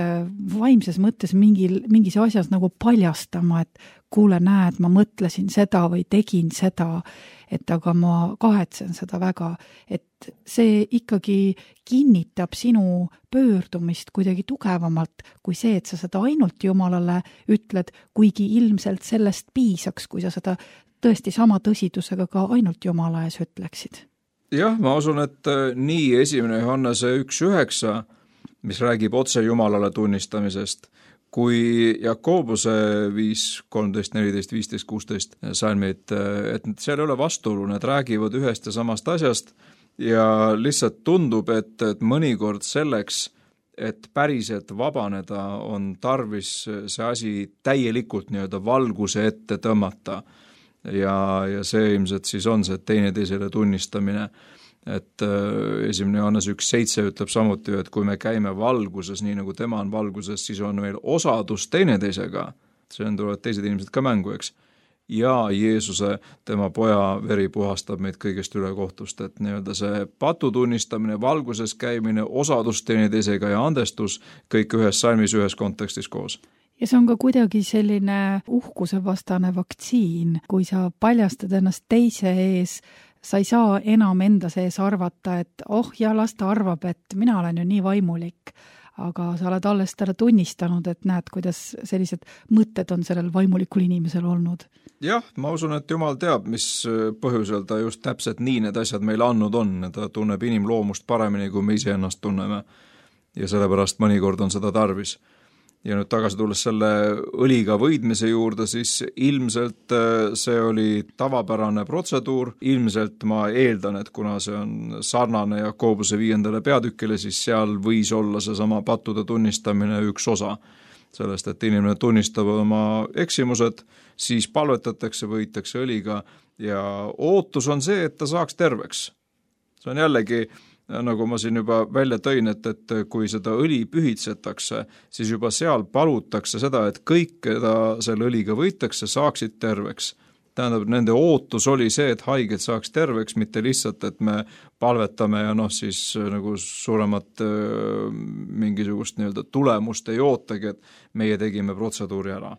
vaimses mõttes mingis asjas nagu paljastama, et kuule, näed, ma mõtlesin seda või tegin seda, et aga ma kahetsen seda väga, et see ikkagi kinnitab sinu pöördumist kuidagi tugevamalt kui see, et sa seda ainult Jumalale ütled, kuigi ilmselt sellest piisaks, kui sa seda tõesti sama tõsidusega ka ainult Jumala ees ütleksid. Jah, ma usun, et nii 1. Johannese 1.9, mis räägib otse Jumalale tunnistamisest, kui Jakobuse 5, 13, 14, 15, 16 salmid, et seal ei ole vastuolu, need räägivad ühest ja samast asjast ja lihtsalt tundub, et mõnikord selleks, et päriselt vabaneda, on tarvis see asi täielikult valguse ette tõmmata ja see ilmselt siis on see teineteisele tunnistamine. Et 1. Johannes 1.7 ütleb samuti, et kui me käime valguses, nii nagu tema on valguses, siis on meil osadus teineteisega. See on tulevad teised inimesed ka mängu, eks. Ja Jeesuse, tema poja veri puhastab meid kõigest ülekohtust, et see patu tunnistamine, valguses käimine, osadus teineteisega ja andestus, kõik ühes salmis, ühes kontekstis koos. Ja see on ka kuidagi selline uhkuse vastane vaktsiin, kui sa paljastad ennast teise ees, sa ei saa enam enda sees arvata, et las ta arvab, et mina olen ju nii vaimulik, aga sa oled alles talle tunnistanud, et näed, kuidas sellised mõtted on sellel vaimulikul inimesel olnud. Jah, ma usun, et Jumal teab, mis põhjusel ta just täpselt nii need asjad meile andnud on. Ta tunneb inimloomust paremini, kui me ise ennast tunneme ja sellepärast mõnikord on seda tarvis. Ja nüüd tagasi tulles selle õliga võidmise juurde, siis ilmselt see oli tavapärane protseduur. Ilmselt ma eeldan, et kuna see on sarnane Jakobuse 5. peatükile, siis seal võis olla seesama pattude tunnistamine üks osa sellest, et inimene tunnistab oma eksimused, siis palvetatakse, võitakse õliga ja ootus on see, et ta saaks terveks. See on jällegi nagu ma siin juba välja tõin, et kui seda õli pühitsetakse, siis juba seal palutakse seda, et kõik, keda selle õliga võitakse, saaksid terveks. Tähendab, nende ootus oli see, et haiged saaks terveks, mitte lihtsalt, et me palvetame ja siis nagu suuremat mingisugust tulemust ei ootagi, et meie tegime protseduuri ära.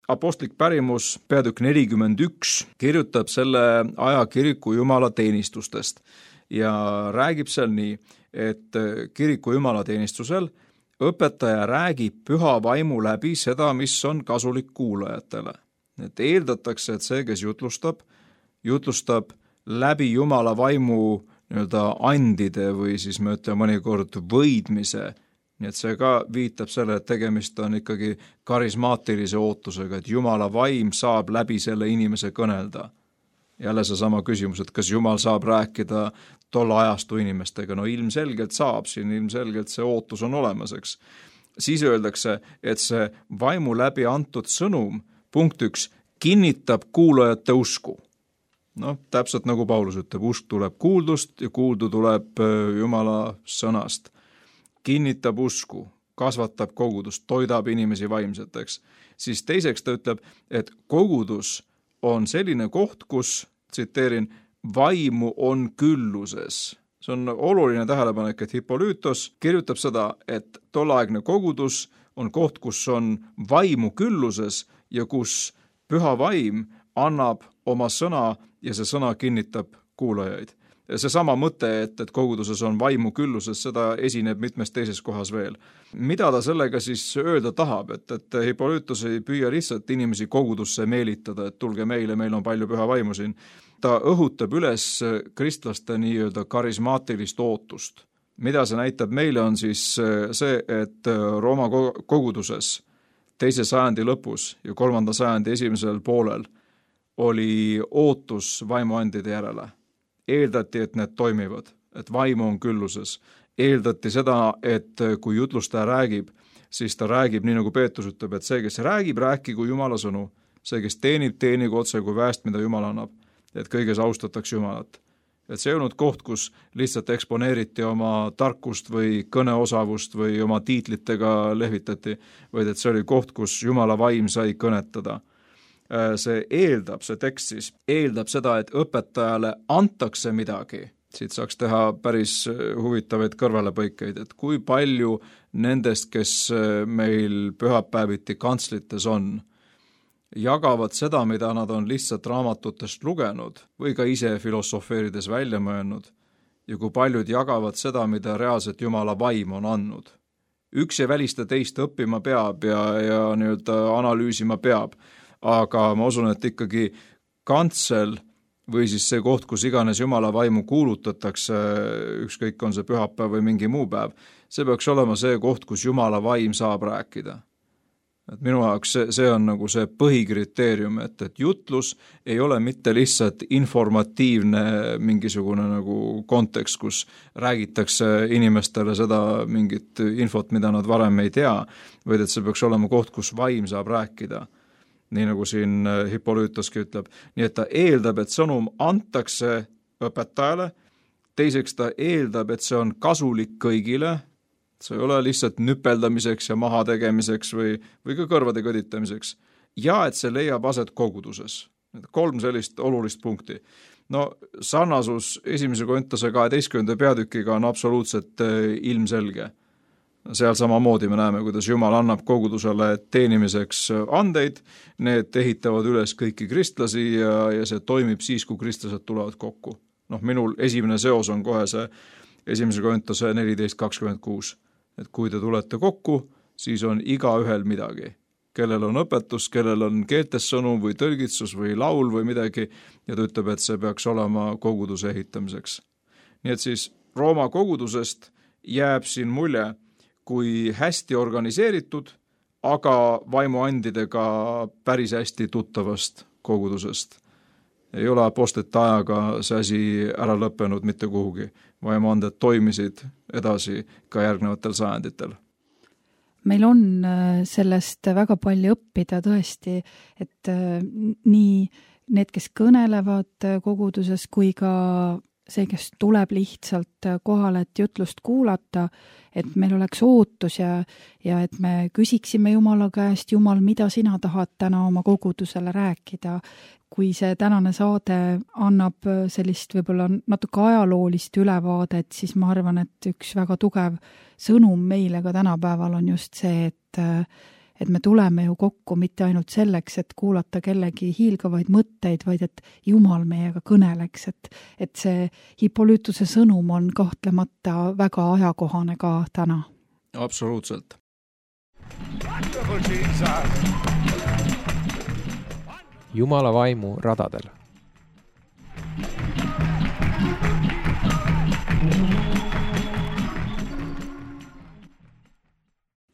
apostlik pärimus, peatükk 41, kirjutab selle aja kiriku jumalateenistustest ja räägib seal nii, et kiriku jumalateenistusel õpetaja räägib püha vaimu läbi seda, mis on kasulik kuulajatele. Et eeldatakse, et see, kes jutlustab läbi jumala vaimu andide või siis me ütleme mõnikord võidmise. Nii et see ka viitab selle, et tegemist on ikkagi karismaatilise ootusega, et jumala vaim saab läbi selle inimese kõnelda. Jälle see sama küsimus, et kas jumal saab rääkida tolle ajastu inimestega? No ilmselgelt saab, siin ilmselgelt see ootus on olemas, eks. Siis öeldakse, et see vaimu läbi antud sõnum, punkt 1, kinnitab kuulajate usku. Täpselt nagu Paulus ütleb, usk tuleb kuuldust ja kuuldu tuleb jumala sõnast. Kinnitab usku, kasvatab kogudust, toidab inimesi vaimseteks. Siis teiseks ta ütleb, et kogudus on selline koht, kus, tsiteerin, vaimu on külluses. See on oluline tähelepanek, et Hippolytos kirjutab seda, et tolleaegne kogudus on koht, kus on vaimu külluses ja kus püha vaim annab oma sõna ja see sõna kinnitab kuulajaid. See sama mõte, et koguduses on vaimu külluses, seda esineb mitmes teises kohas veel. Mida ta sellega siis öelda tahab, et Hippolytos ei püüa lihtsalt inimesi kogudusse meelitada, et tulge meile, meil on palju püha vaimu siin. Ta õhutab üles kristlaste nii-öelda karismaatilist ootust. Mida see näitab meile on siis see, et Rooma koguduses 2. sajandi lõpus ja 3. sajandi esimesel poolel oli ootus vaimuandide järele. Eeldati, et need toimivad, et vaimu on külluses. Eeldati seda, et kui jutlustaja räägib, siis ta räägib nii nagu Peetrus ütleb, et see, kes räägib, rääkigu Jumala sõnu. See, kes teenigu otse kui väest, mida Jumal annab. Et kõiges austatakse Jumalat. Et see ei olnud koht, kus lihtsalt eksponeeriti oma tarkust või kõneosavust või oma tiitlitega lehvitati, vaid et see oli koht, kus Jumala vaim sai kõnetada. See tekst siis eeldab seda, et õpetajale antakse midagi. Siit saaks teha päris huvitavaid kõrvalepõikeid, et kui palju nendest, kes meil pühapäeviti kantslites on, jagavad seda, mida nad on lihtsalt raamatutest lugenud või ka ise filosofeerides välja mõelnud ja kui paljud jagavad seda, mida reaalselt Jumala vaim on andnud. Üks ei välista teist õppima peab ja nii-öelda analüüsima peab, aga ma usun, et ikkagi kantsel või siis see koht, kus iganes Jumala vaimu kuulutatakse, ükskõik on see pühapäev või mingi muu päev, see peaks olema see koht, kus Jumala vaim saab rääkida. Et minu jaoks see on nagu see põhikriteerium, et jutlus ei ole mitte lihtsalt informatiivne mingisugune nagu kontekst, kus räägitakse inimestele seda mingit infot, mida nad varem ei tea, vaid et see peaks olema koht, kus vaim saab rääkida. Nii nagu siin Hippolytoski ütleb. Nii et ta eeldab, et sõnum antakse õpetajale, teiseks ta eeldab, et see on kasulik kõigile, see ei ole lihtsalt nüpeldamiseks ja maha tegemiseks või ka kõrvade kõditamiseks, ja et see leiab aset koguduses. 3 sellist olulist punkti. Sarnasus 1. Korintuse 12. peatükiga on absoluutselt ilmselge. Seal samamoodi me näeme, kuidas Jumal annab kogudusele teenimiseks andeid, need ehitavad üles kõiki kristlasi ja see toimib siis, kui kristlased tulevad kokku. Minul esimene seos on kohe see 1. Korintuse 14:26, et kui te tulete kokku, siis on igaühel midagi. Kellel on õpetus, kellel on keeltessõnum või tõlgitsus või laul või midagi, ja ta ütleb, et see peaks olema koguduse ehitamiseks. Nii et siis Rooma kogudusest jääb siin mulje, kui hästi organiseeritud, aga vaimuandidega päris hästi tuttavast kogudusest. Ei ole apostlite ajaga see asi ära lõppenud mitte kuhugi. Vaimuanded toimisid edasi ka järgnevatel sajanditel. Meil on sellest väga palju õppida tõesti, et nii need, kes kõnelevad koguduses, kui ka see, kes tuleb lihtsalt kohale, et jutlust kuulata, et meil oleks ootus ja et me küsiksime Jumala käest, Jumal, mida sina tahad täna oma kogudusele rääkida. Kui see tänane saade annab sellist võib-olla natuke ajaloolist ülevaadet, siis ma arvan, et üks väga tugev sõnum meile ka tänapäeval on just see, et me tuleme ju kokku mitte ainult selleks, et kuulata kellegi hiilgavaid mõtteid, vaid et Jumal meiega kõneleks, et see Hippolytuse sõnum on kahtlemata väga ajakohane ka täna. Absoluutselt. Wonderful Jesus. Jumala vaimu radadel.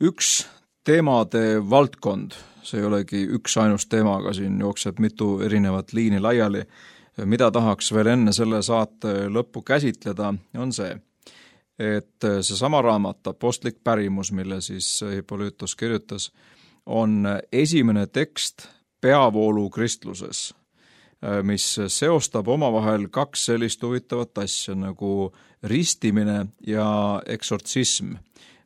Üks teemade valdkond, see ei olegi üks ainus teema, aga siin jookseb mitu erinevat liini laiali. Mida tahaks veel enne selle saate lõppu käsitleda, on see, et seesama raamat, Apostlik pärimus, mille siis Hippolytus kirjutas, on esimene tekst peavoolu kristluses, mis seostab omavahel kaks sellist huvitavat asja nagu ristimine ja eksortsism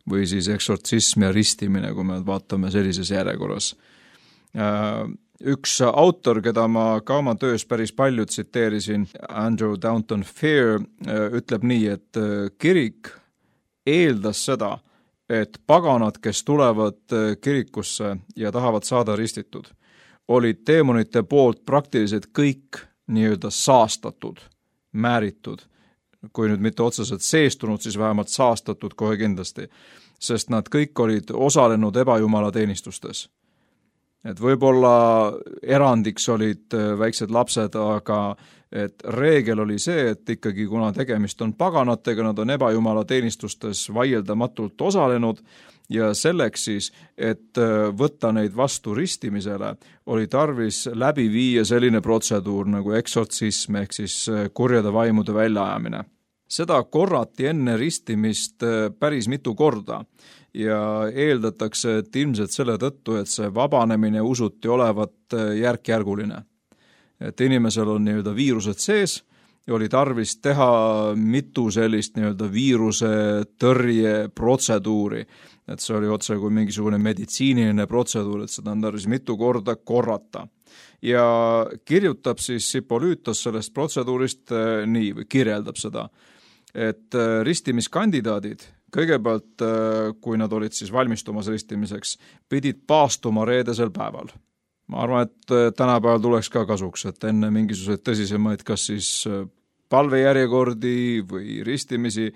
või siis eksortsism ja ristimine, kui me vaatame sellises järjekorras. Üks autor, keda ma ka oma töös päris palju tsiteerisin, Andrew Downton Fair, ütleb nii, et kirik eeldas seda, et paganad, kes tulevad kirikusse ja tahavad saada ristitud, olid teemonite poolt praktiliselt kõik nii-öelda saastatud, määritud. Kui nüüd mitte otseselt seestunud, siis vähemalt saastatud kohe kindlasti, sest nad kõik olid osalenud ebajumala teenistustes. Et võib-olla erandiks olid väiksed lapsed, aga et reegel oli see, et ikkagi kuna tegemist on paganatega, nad on ebajumala teenistustes vaieldamatult osalenud ja selleks siis, et võtta neid vastu ristimisele, oli tarvis läbi viia selline protseduur nagu eksortsism ehk siis kurjade vaimude väljaajamine. Seda korrati enne ristimist päris mitu korda ja eeldatakse, et ilmselt selle tõttu, et see vabanemine usuti olevat järk-järguline. Et inimesel on nii-öelda viirused sees ja oli tarvis teha mitu sellist nii-öelda viiruse tõrje protseduuri. Et see oli otse kui mingisugune meditsiiniline protseduur, et seda on tarvis mitu korda korrata. Ja kirjutab siis Hippolytos sellest protseduurist nii, või kirjeldab seda, et ristimiskandidaadid kõigepealt, kui nad olid siis valmistumas ristimiseks, pidid paastuma reedesel päeval. Ma arvan, et tänapäeval tuleks ka kasuks, et enne mingisuguseid tõsisemaid, kas siis palvejärjekordi või ristimisi,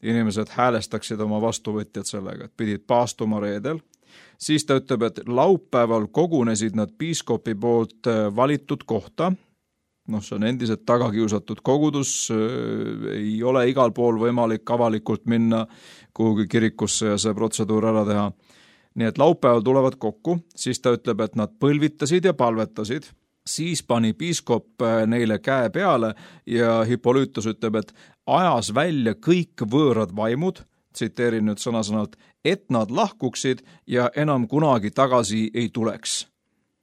inimesed häälestaksid oma vastuvõtjad sellega, et pidid paastuma reedel. Siis ta ütleb, et laupäeval kogunesid nad piiskopi poolt valitud kohta. See on endiselt tagakiusatud kogudus, ei ole igal pool võimalik avalikult minna kuhugi kirikusse ja see protseduur ära teha. Nii et laupäeval tulevad kokku, siis ta ütleb, et nad põlvitasid ja palvetasid, siis pani piiskop neile käe peale ja Hippolytus ütleb, et ajas välja kõik võõrad vaimud, tsiteerin nüüd sõna-sõnalt, et nad lahkuksid ja enam kunagi tagasi ei tuleks.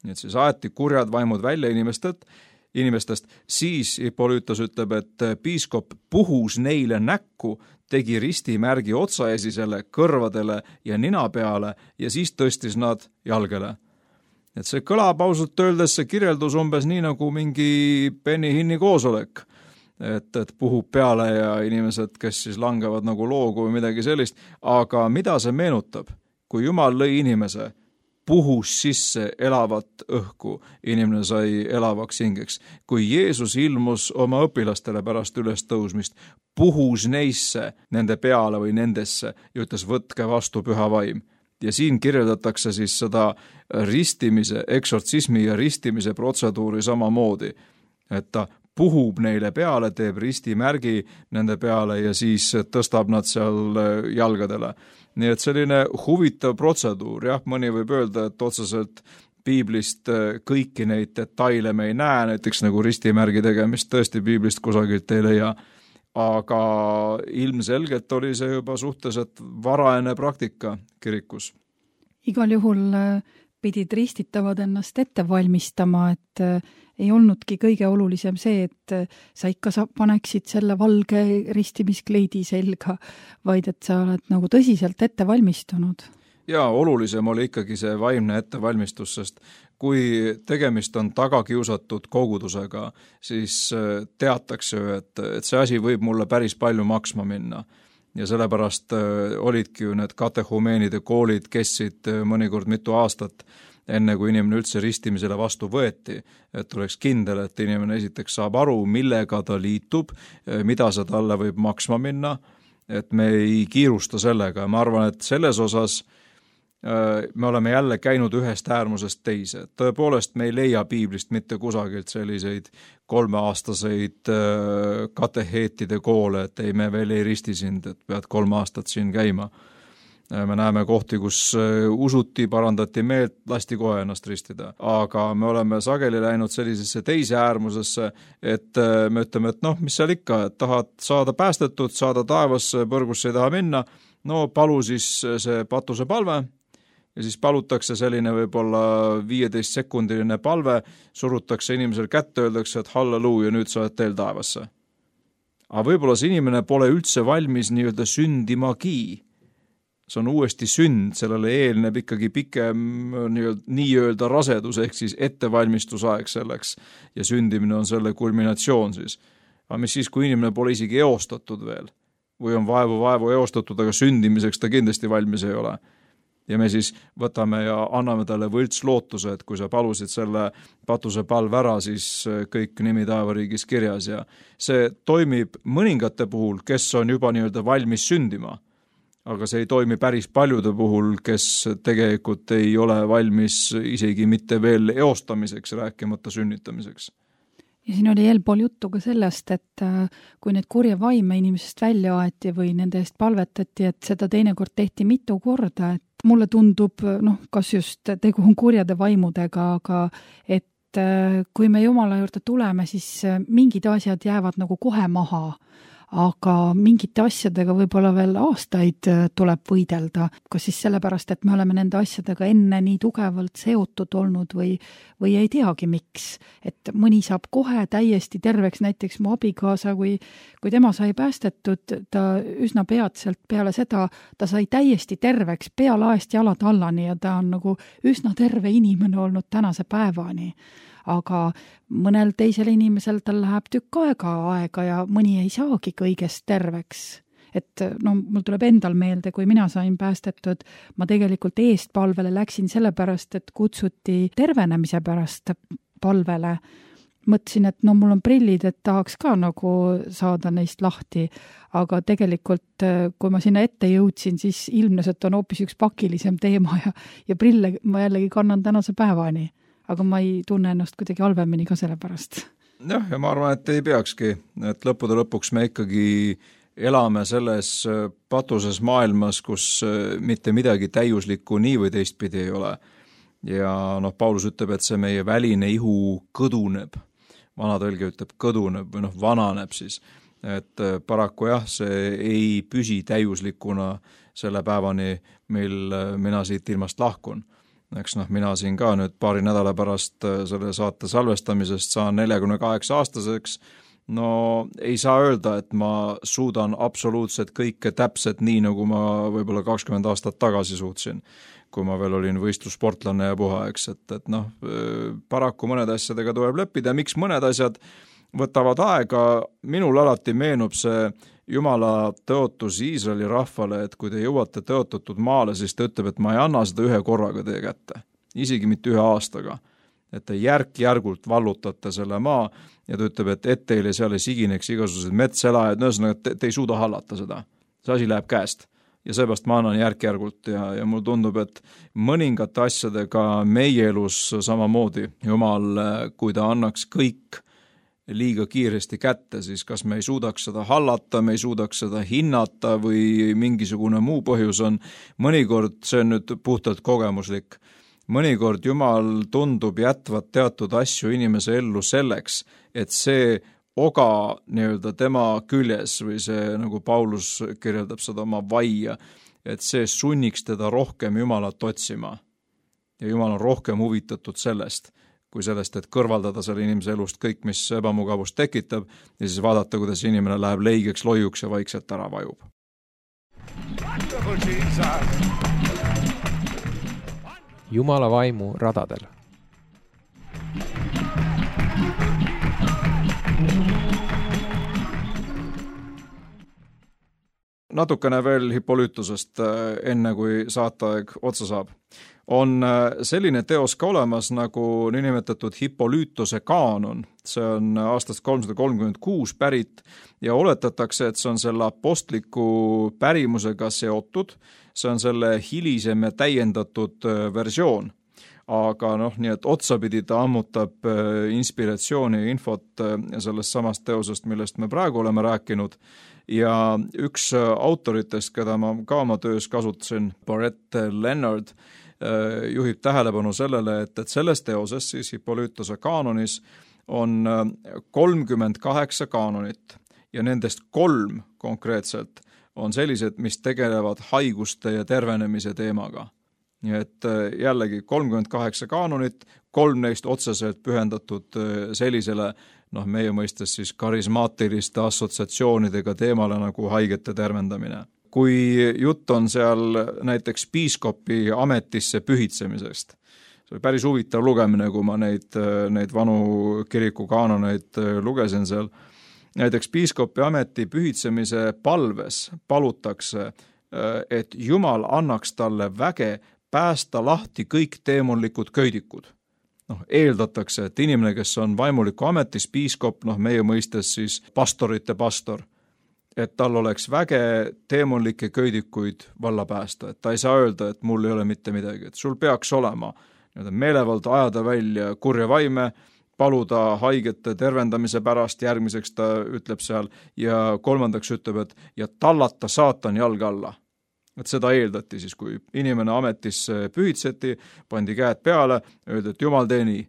Nii et siis aeti kurjad vaimud välja inimestest, siis Hippolytus ütleb, et piiskop puhus neile näkku, tegi ristimärgi otsaesisele, kõrvadele ja nina peale ja siis tõstis nad jalgele. Et see kõlab ausalt öeldes see kirjeldus umbes nii nagu mingi Benny Hinni koosolek, et puhub peale ja inimesed, kes siis langevad nagu loogu või midagi sellist, aga mida see meenutab? Kui Jumal lõi inimese, puhus sisse elavat õhku, inimene sai elavaks hingeks. Kui Jeesus ilmus oma õpilastele pärast ülestõusmist, puhus neisse, nende peale või nendesse ja ütles, võtke vastu püha vaim. Ja siin kirjeldatakse siis seda ristimise, eksortsismi ja ristimise protseduuri samamoodi, et ta puhub neile peale, teeb ristimärgi nende peale ja siis tõstab nad seal jalgadele. Nii et selline huvitav protseduur, jah, mõni võib öelda, et otseselt piiblist kõiki neid detaile me ei näe, näiteks nagu ristimärgi tegemist tõesti piiblist kusagilt ei leia, aga ilmselgelt oli see juba suhteliselt varajane praktika kirikus. Igal juhul pidid ristitavad ennast ette valmistama, et ei olnudki kõige olulisem see, et sa ikka paneksid selle valge ristimiskleidi selga, vaid et sa oled nagu tõsiselt ette valmistunud. Ja olulisem oli ikkagi see vaimne ettevalmistus, sest kui tegemist on tagakiusatud kogudusega, siis teatakse ju, et see asi võib mulle päris palju maksma minna. ja sellepärast olidki ju need katehumeenide koolid kestsid mõnikord mitu aastat, enne kui inimene üldse ristimisele vastu võeti, et oleks kindel, et inimene esiteks saab aru, millega ta liitub, mida see talle võib maksma minna, et me ei kiirusta sellega. Ma arvan, et selles osas me oleme jälle käinud ühest äärmusest teise. Tõepoolest me ei leia piiblist mitte kusagilt selliseid 3-aastaseid kateheetide koole, et ei, me veel ei risti sind, et pead 3 aastat siin käima. Me näeme kohti, kus usuti, parandati meelt, lasti kohe ennast ristida. Aga me oleme sageli läinud sellisesse teise äärmusesse, et me ütleme, et mis seal ikka, et tahad saada päästetud, saada taevasse, põrgusse ei taha minna, no palu siis see patuse palve, ja siis palutakse selline võib-olla 15-sekundiline palve, surutakse inimesel kätte, öeldakse, et halleluuja, nüüd sa oled teel taevasse. Aga võib-olla see inimene pole üldse valmis nii-öelda sündimagi. See on uuesti sünd, sellele eelneb ikkagi pikem nii-öelda rasedus, ehk siis ettevalmistusaeg selleks, ja sündimine on selle kulminatsioon siis. Aga mis siis, kui inimene pole isegi eostatud veel, või on vaevu eostatud, aga sündimiseks ta kindlasti valmis ei ole. Ja me siis võtame ja anname talle võlts lootuse, et kui sa palusid selle patuse palve ära, siis kõik nimi taevariigis kirjas ja see toimib mõningate puhul, kes on juba nii-öelda valmis sündima, aga see ei toimi päris paljude puhul, kes tegelikult ei ole valmis isegi mitte veel eostamiseks, rääkimata sünnitamiseks. Ja siin oli eelpool juttu ka sellest, et kui need kurje vaime inimesest välja aeti või nende eest palvetati, et seda teinekord tehti mitu korda, et mulle tundub, kas just tegu on kurjade vaimudega, aga et kui me Jumala juurde tuleme, siis mingid asjad jäävad nagu kohe maha, aga mingite asjadega võib-olla veel aastaid tuleb võidelda, kas siis sellepärast, et me oleme nende asjadega enne nii tugevalt seotud olnud või ei teagi miks, et mõni saab kohe täiesti terveks, näiteks mu abikaasa, kui tema sai päästetud, ta üsna peatselt peale seda, ta sai täiesti terveks, pealaest jalad allani ja ta on nagu üsna terve inimene olnud tänase päevani. Aga mõnel teisel inimesel tal läheb tükk aega ja mõni ei saagi kõigest terveks. Et mul tuleb endal meelde, kui mina sain päästetud, ma tegelikult eestpalvele läksin sellepärast, et kutsuti tervenemise pärast palvele. Mõtlesin, et mul on prillid, et tahaks ka nagu saada neist lahti, aga tegelikult, kui ma sinna ette jõudsin, siis ilmnes, et on hoopis üks pakilisem teema ja prille ma jällegi kannan tänase päevani. Aga ma ei tunne ennast kuidagi halvemini ka selle pärast. Ja ma arvan, et ei peakski, et lõppude lõpuks me ikkagi elame selles patuses maailmas, kus mitte midagi täiuslikku nii või teistpidi ei ole. Ja Paulus ütleb, et see meie väline ihu kõduneb, vana tõlge ütleb kõduneb või vananeb siis, et paraku jah, see ei püsi täiuslikuna selle päevani, mil mina siit ilmast lahkun. Eks mina siin ka nüüd paari nädala pärast selle saate salvestamisest saan 48-aastaseks, ei saa öelda, et ma suudan absoluutselt kõike täpselt nii, nagu ma võib-olla 20 aastat tagasi suutsin, kui ma veel olin võistlussportlane ja puha, eks, et paraku mõned asjadega tuleb leppida, miks mõned asjad võtavad aega, minul alati meenub see Jumala tõotus Iisraeli rahvale, et kui te jõuate tõotatud maale, siis ta ütleb, et ma ei anna seda ühe korraga teie kätte, isegi mitte 1 aastaga. Et te järk-järgult vallutate selle maa ja ta ütleb, et teile seal ei sigineks igasugused metselajad, ühesõnaga, te ei suuda hallata seda. See asi läheb käest ja seepärast ma annan järk-järgult ja mul tundub, et mõningate asjadega meie elus samamoodi Jumal, kui ta annaks kõik liiga kiiresti kätte, siis kas me ei suudaks seda hallata, me ei suudaks seda hinnata või mingisugune muu põhjus on. Mõnikord, see on nüüd puhtalt kogemuslik, mõnikord Jumal tundub jätvat teatud asju inimese ellu selleks, et see oga nii-öelda tema küljes või see, nagu Paulus kirjeldab seda oma vaia, et see sunniks teda rohkem Jumalat otsima. Ja Jumal on rohkem huvitatud sellest, kui sellest, et kõrvaldada selle inimese elust kõik, mis ebamugavust tekitab ja siis vaadata, kuidas inimene läheb leigeks, loiuks ja vaikselt ära vajub. Jumala vaimu radadel. natukene veel Hippolytusest, enne kui saateaeg otsa saab. On selline teos ka olemas nagu niinimetatud Hippolytuse kaanon. See on aastast 336 pärit ja oletatakse, et see on selle apostliku pärimusega seotud. See on selle hilisem ja täiendatud versioon. Aga nii et otsapidi ta ammutab inspiratsiooni ja infot sellest samast teosest, millest me praegu oleme rääkinud. Ja üks autoritest, keda ma ka oma töös kasutasin, Barrett Leonard, juhib tähelepanu sellele, et selles teoses, siis Hippolytuse kaanonis, on 38 kaanonit ja nendest 3 konkreetselt on sellised, mis tegelevad haiguste ja tervenemise teemaga. Nii et jällegi 38 kaanonit, 3 neist otseselt pühendatud sellisele, meie mõistes siis karismaatiliste assotsiatsioonidega teemale nagu haigete tervendamine. Kui jutt on seal näiteks piiskopi ametisse pühitsemisest, see oli päris huvitav lugemine, kui ma neid vanu kiriku kaanoneid lugesin seal. Näiteks piiskopi ameti pühitsemise palves palutakse, et Jumal annaks talle väge päästa lahti kõik teemonlikud köidikud. Eeldatakse, et inimene, kes on vaimuliku ametis, piiskop, meie mõistes siis pastorite pastor, et tal oleks väge teemonlikke köidikuid valla päästa, et ta ei saa öelda, et mul ei ole mitte midagi, et sul peaks olema meelevald ajada välja kurja vaime, paluda haigete tervendamise pärast, järgmiseks ta ütleb seal ja 3. ütleb, et ja tallata saatan jalga alla. Et seda eeldati siis, kui inimene ametisse pühitseti, pandi käed peale, öeldi, et Jumal tee nii,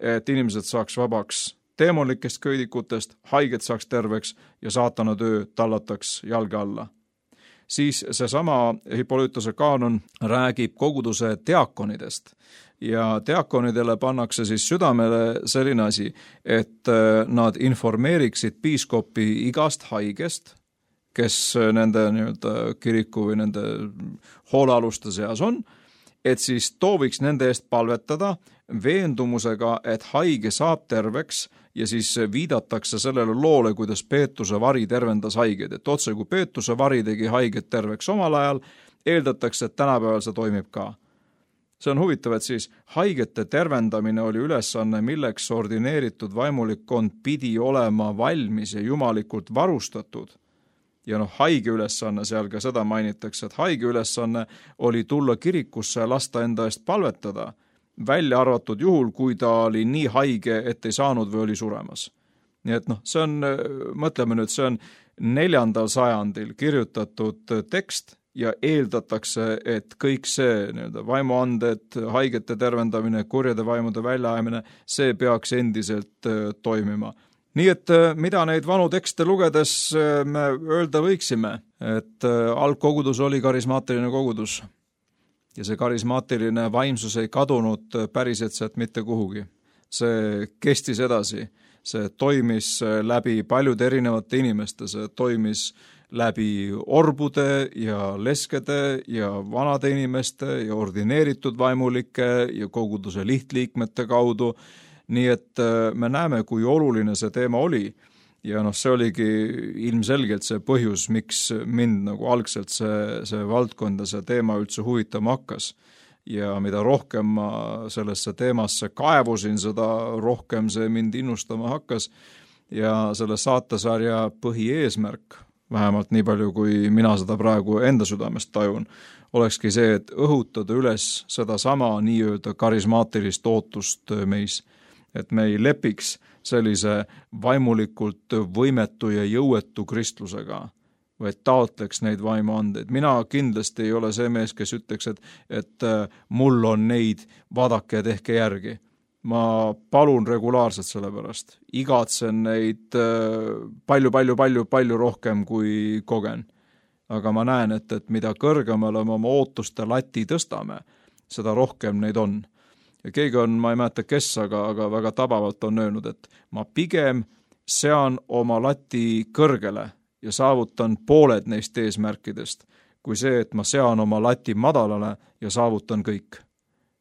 et inimesed saaks vabaks teemonlikest köidikutest, haiged saaks terveks ja saatana töö tallataks jalga alla. Siis seesama Hippolytuse kaanon räägib koguduse diakonidest ja diakonidele pannakse siis südamele selline asi, et nad informeeriksid piiskopi igast haigest, kes nende kiriku või nende hoolealuste seas on, et siis tooviks nende eest palvetada veendumusega, et haige saab terveks ja siis viidatakse sellele loole, kuidas Peetruse vari tervendas haigeid. Et otse kui Peetruse vari tegi haiget terveks omal ajal, eeldatakse, et tänapäeval see toimib ka. See on huvitav, et siis haigete tervendamine oli ülesanne, milleks ordineeritud vaimulikkond pidi olema valmis ja jumalikult varustatud. Ja haige ülesanne, seal ka seda mainitakse, et haige ülesanne oli tulla kirikusse ja lasta enda eest palvetada, välja arvatud juhul, kui ta oli nii haige, et ei saanud või oli suremas. Nii et see on, mõtleme nüüd, see on 4. sajandil kirjutatud tekst ja eeldatakse, et kõik see vaimuanded, haigete tervendamine, kurjade vaimude väljaajamine, see peaks endiselt toimima. Nii et mida neid vanu tekste lugedes me öelda võiksime, et algkogudus oli karismaatiline kogudus ja see karismaatiline vaimsus ei kadunud päriselt mitte kuhugi. See kestis edasi, see toimis läbi paljude erinevate inimeste, see toimis läbi orbude ja leskede ja vanade inimeste ja ordineeritud vaimulike ja koguduse lihtliikmete kaudu. Nii et me näeme, kui oluline see teema oli ja see oligi ilmselgelt see põhjus, miks mind algselt see valdkond ja see teema üldse huvitama hakkas. Ja mida rohkem ma sellesse teemasse kaevusin, seda rohkem see mind innustama hakkas ja selle saatesarja põhieesmärk, vähemalt nii palju, kui mina seda praegu enda südamest tajun, olekski see, et õhutada üles seda sama nii-öelda karismaatilist ootust meis, et me ei lepiks sellise vaimulikult võimetu ja jõuetu kristlusega, vaid taotleks neid vaimuandeid. Mina kindlasti ei ole see mees, kes ütleks, et mul on neid, vaadake ja tehke järgi. Ma palun regulaarselt selle pärast. Igatsen neid palju rohkem kui kogen. Aga ma näen, et mida kõrgemale me oma ootuste lati tõstame, seda rohkem neid on. Ja keegi on, ma ei mäleta kes, aga väga tabavalt on öelnud, et ma pigem sean oma lati kõrgele ja saavutan pooled neist eesmärkidest, kui see, et ma sean oma lati madalale ja saavutan kõik.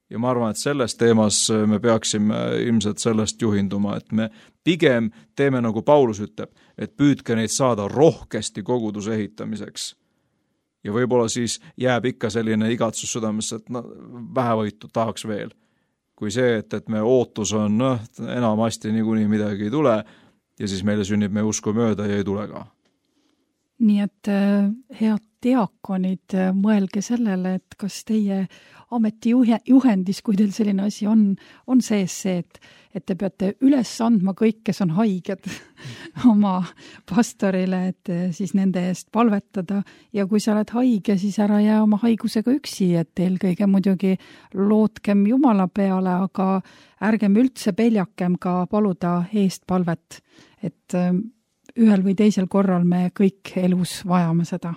Ja ma arvan, et selles teemas me peaksime ilmselt sellest juhinduma, et me pigem teeme, nagu Paulus ütleb, et püüdke neid saada rohkesti koguduse ehitamiseks, ja võib-olla siis jääb ikka selline igatsus südamesse, et vähevõitu tahaks veel. Kui see, et me ootus on, enamasti niikuinii midagi ei tule ja siis meile sünnib meie usku mööda ja ei tule ka. Nii et head diakonid, mõelge sellele, et kas teie ametijuhendis, kui teil selline asi on sees see, et te peate üles andma kõik, kes on haiged oma pastorile, et siis nende eest palvetada ja kui sa oled haige, siis ära jää oma haigusega üksi, et eelkõige muidugi lootkem Jumala peale, aga ärgem üldse peljakem ka paluda eest palvet, et ühel või teisel korral me kõik elus vajame seda.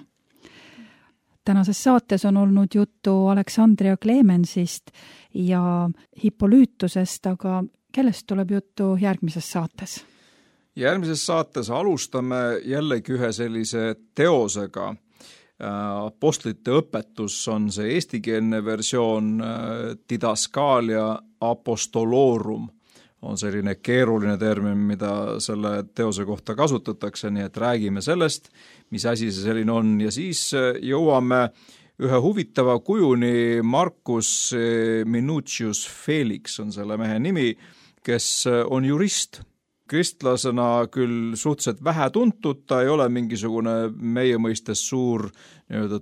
Tänases saates on olnud juttu Aleksandria Klemensist ja Hippoliitusest, aga kellest tuleb juttu järgmises saates? Järgmises saates alustame jällegi ühe sellise teosega. Apostlite õpetus on see eestikeelne versioon, Didaskalia apostolorum on selline keeruline termin, mida selle teose kohta kasutatakse, nii et räägime sellest, mis asi see selline on ja siis jõuame ühe huvitava kujuni. Marcus Minucius Felix on selle mehe nimi, kes on jurist. Kristlasena küll suhteliselt vähe tuntud, ta ei ole mingisugune meie mõistes suur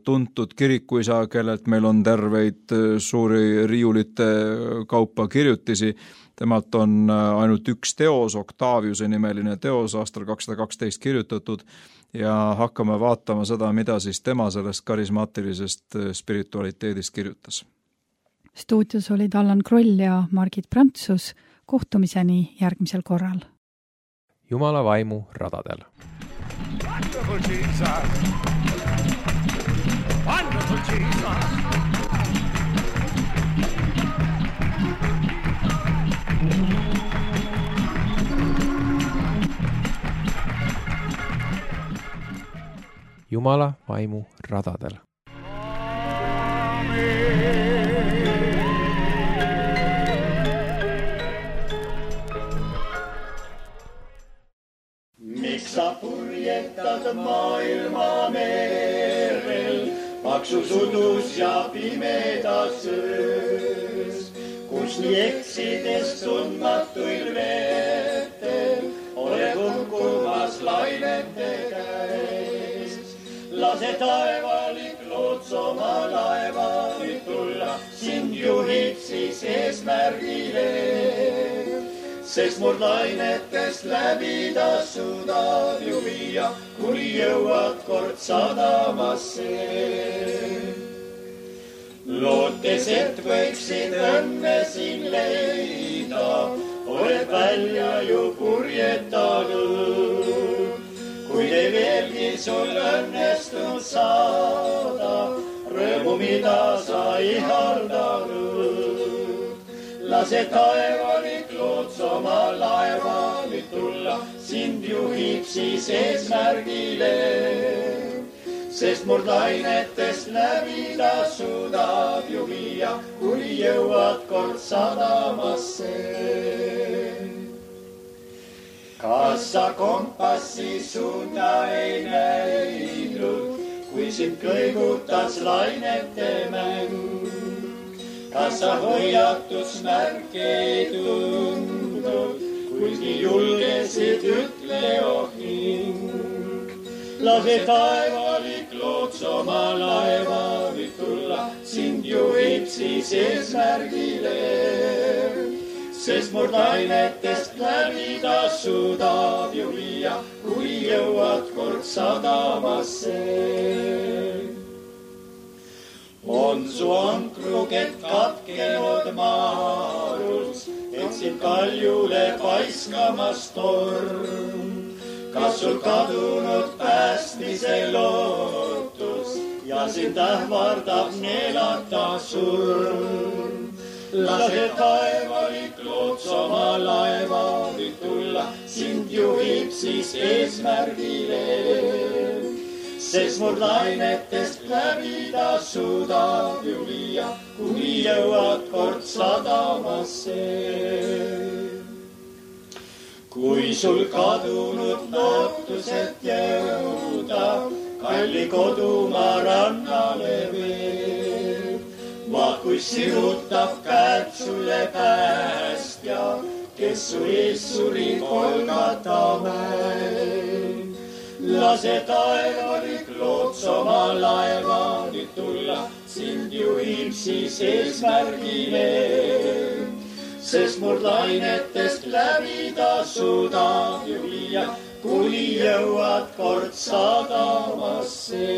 tuntud kirikuisa, kellelt meil on terveid suuri riiulite kaupa kirjutisi. Temalt on ainult üks teos, Octaviuse nimeline teos, aastal 212 kirjutatud ja hakkame vaatama seda, mida siis tema sellest karismaatilisest spiritualiteedist kirjutas. Stuudios olid Allan Kroll ja Margit Prantsus. Kohtumiseni järgmisel korral. Jumala vaimu radadel. Wonderful Jesus! Wonderful Jesus! Jumala vaimu radadel. Miks sa purjetad maailma merel, paksus udus ja pimedas öös, kus nii eksides tundmatuil veetel oled hukkumas lainete käes. Lase taevalik loots oma laeva nüüd tulla, sind juhib siis eesmärgile, sest murd lainetest läbi ta suudab ju viia, kuni jõuad kord sadamasse. Lootes, et võiksid õnne siin leida, oled välja ju purjetanud. Kui ei veelgi sul õnnestunud saada, rõõmu mida sa ihaldanud. Lase taevalik loots oma laeva nüüd tulla, sind juhib siis eesmärgile, sest murd lainetest läbi ta suudab ju viia, kuni jõuad kord sadamasse. Kas sa kompassi suunda ei näinud, kui sind kõigutas lainete mäng? Kas sa hoiatusmärke ei tundnud, kuigi julgesid ütle ohing? Lase taevalik loots oma laeva nüüd tulla, sind juhib siis eesmärgile, sest murd lainetest läbi ta suudab ju viia, kui jõuad kord sadamasse. On su ankrukett katkenud maarus, et sind kaljule paiskamas torm. Kas sul kadunud päästmise lootus ja sind ähvardab neelata surm? Lase taevalik loots oma laeva nüüd tulla, sind juhib siis eesmärgile, sest murd lainetest läbi ta suudab ju viia, kuni jõuad kord sadamasse. Kui sul kadunud lootused jõuda, kalli kodumaa rannale veeb. Vahkuis sirutab käed sulle päästja, kes su ees suri Golgata mäel. Lase taevalik loots oma laeva nüüd tulla, sind juhib siis eesmärgile. Sest murdlainetest läbi ta suudab ju viia, kuni jõuad kord sadamasse.